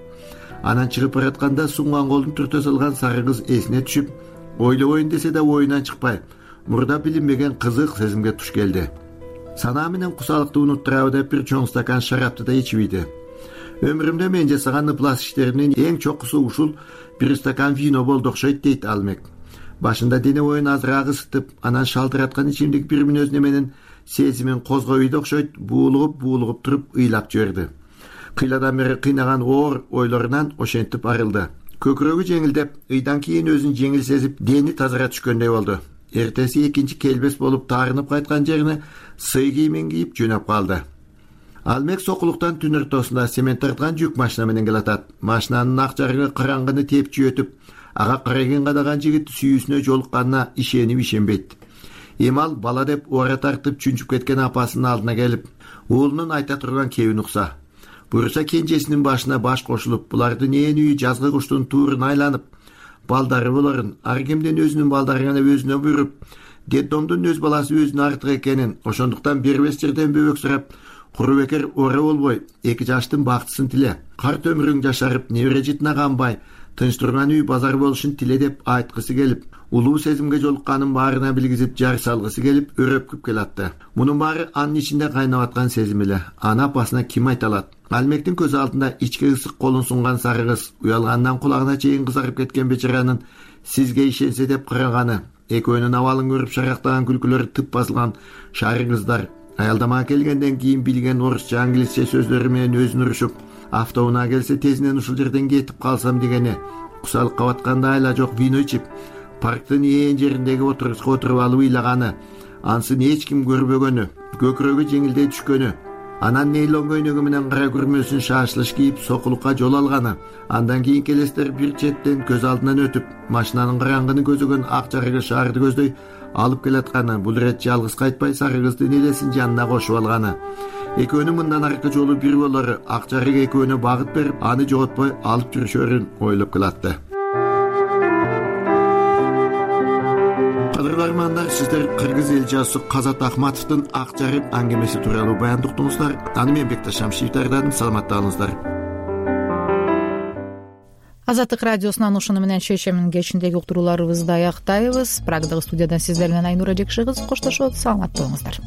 Анан чыгып баратканда сунган колун түртө салган сары кыз эсине түшүп, ойлобойн десе да оюнан чыкпай, мурда билинбеген кызык сезимге туш келди. Санаа менен кусалыкты унуттурабы деп бир чоң стакан шарапты да ичип ийди. Өмүрүмдө мен жасаган ыплас иштеримдин эң чокусу ушул бир стакан вино болду окшойт, дейт Алмек. Башында дене боюн азыраак ысытып, анан шалтыраткан ичимдик бир мүнөз неменин сезимин козгой үйдө окшойт, буулугуп буулугуп туруп ыйлап жиберди. Кыйладан бери кыйнаган оор ойлорунан ошентип арылды. Көкүрөгү жеңилдеп, ыйдан кийин өзүн жеңил сезип, дени тазара түшкөндөй болду. Эртеси экинчи келбес болуп таарынып кайткан жерине сый кийимин кийип жөнөп калды. Алмек Сокулуктан түн ортосунда семент тарткан жүк машина менен келатат. Машинанын ак жарыгы караңгыны тепчи өтүп, ага карайген кадаган жигит сүйүүсүнө жолукканына ишенип ишенбейт. Эми ал бала деп ора тартып чүнчүп кеткен апасынын алдына келип, уулунун айта турган кебин укса. Буюрса кенжесинин башына баш кошулуп, булардын ээн үйү жазгы куштун туурун айланып, балдары болорун, ар кимдин өзүнүн балдары гана өзүнө буйруп, детдомдун өз баласы өзүнө артык экенин, ошондуктан бербес жерден бөбөк сурап, куру бекер ора болбой, эки жаштын бактысын тиле, карт өмүрүң жашарып, небере жытына канбай, тынч турган үй базар болушун тиле деп айткысы келип, улуу сезимге жолукканын баарына билгизип жар салгысы келип, өрөпкүп келатты. Мунун баары анын ичинде кайнап аткан сезим эле. Аны апасына ким айта алат? Алмектин көз алдында ичке ысык колун сунган сары кыз, уялгандан кулагына чейин кызарып кеткен бечаранын сизге ишенсе деп караганы, экөөнүн абалын көрүп шарактаган күлкүлөрү тып басылган шары кыздар, аялдамага келгенден кийин билген орусча, англисче сөздөрү менен өзүн урушуп, автоунаа келсе тезинен ушул жерден кетип калсам дегени, кусалыкка батканда айла жок вино ичип, парктын ээн жериндеги отургучка отуруп алып ыйлаганы, ансын эч ким көрбөгөнү, көкүрөгү жеңилдей түшкөнү, анан нейлон көйнөгү менен кара күрмөсүн шашылыш кийип сокулукка жол алганы. Андан кийинки элестер бир четтен көз алдынан өтүп, машинанын караңгыны көзөгөн ак жарыгы шаарды көздөй алып келатканы. Бул ирет жалгыз кайтпай сары кыздын элесин жанына кошуп алганы. Экөөнүн мындан аркы жолу бир болору, ак жарык экөөнө багыт берип, аны жоготпой алып жүрүшөрүн ойлоп калатты. Кадырлармандар, сиздер Кыргыз эл жазуучусу Казат Ахматовдун Ак жарык аңгемеси тууралуу баяндык уктуңуздар. Аны мен Бекташ Шамшиев даярдадым. Саламатталыңыздар. Азаттык радиосунан ушуну менен шейшембинин кечиндеги уктурууларыбызды аяктайбыз. Прагдагы студиядан сиздер менен Айнура Жекшегиз коштошот. Саламат болуңуздар.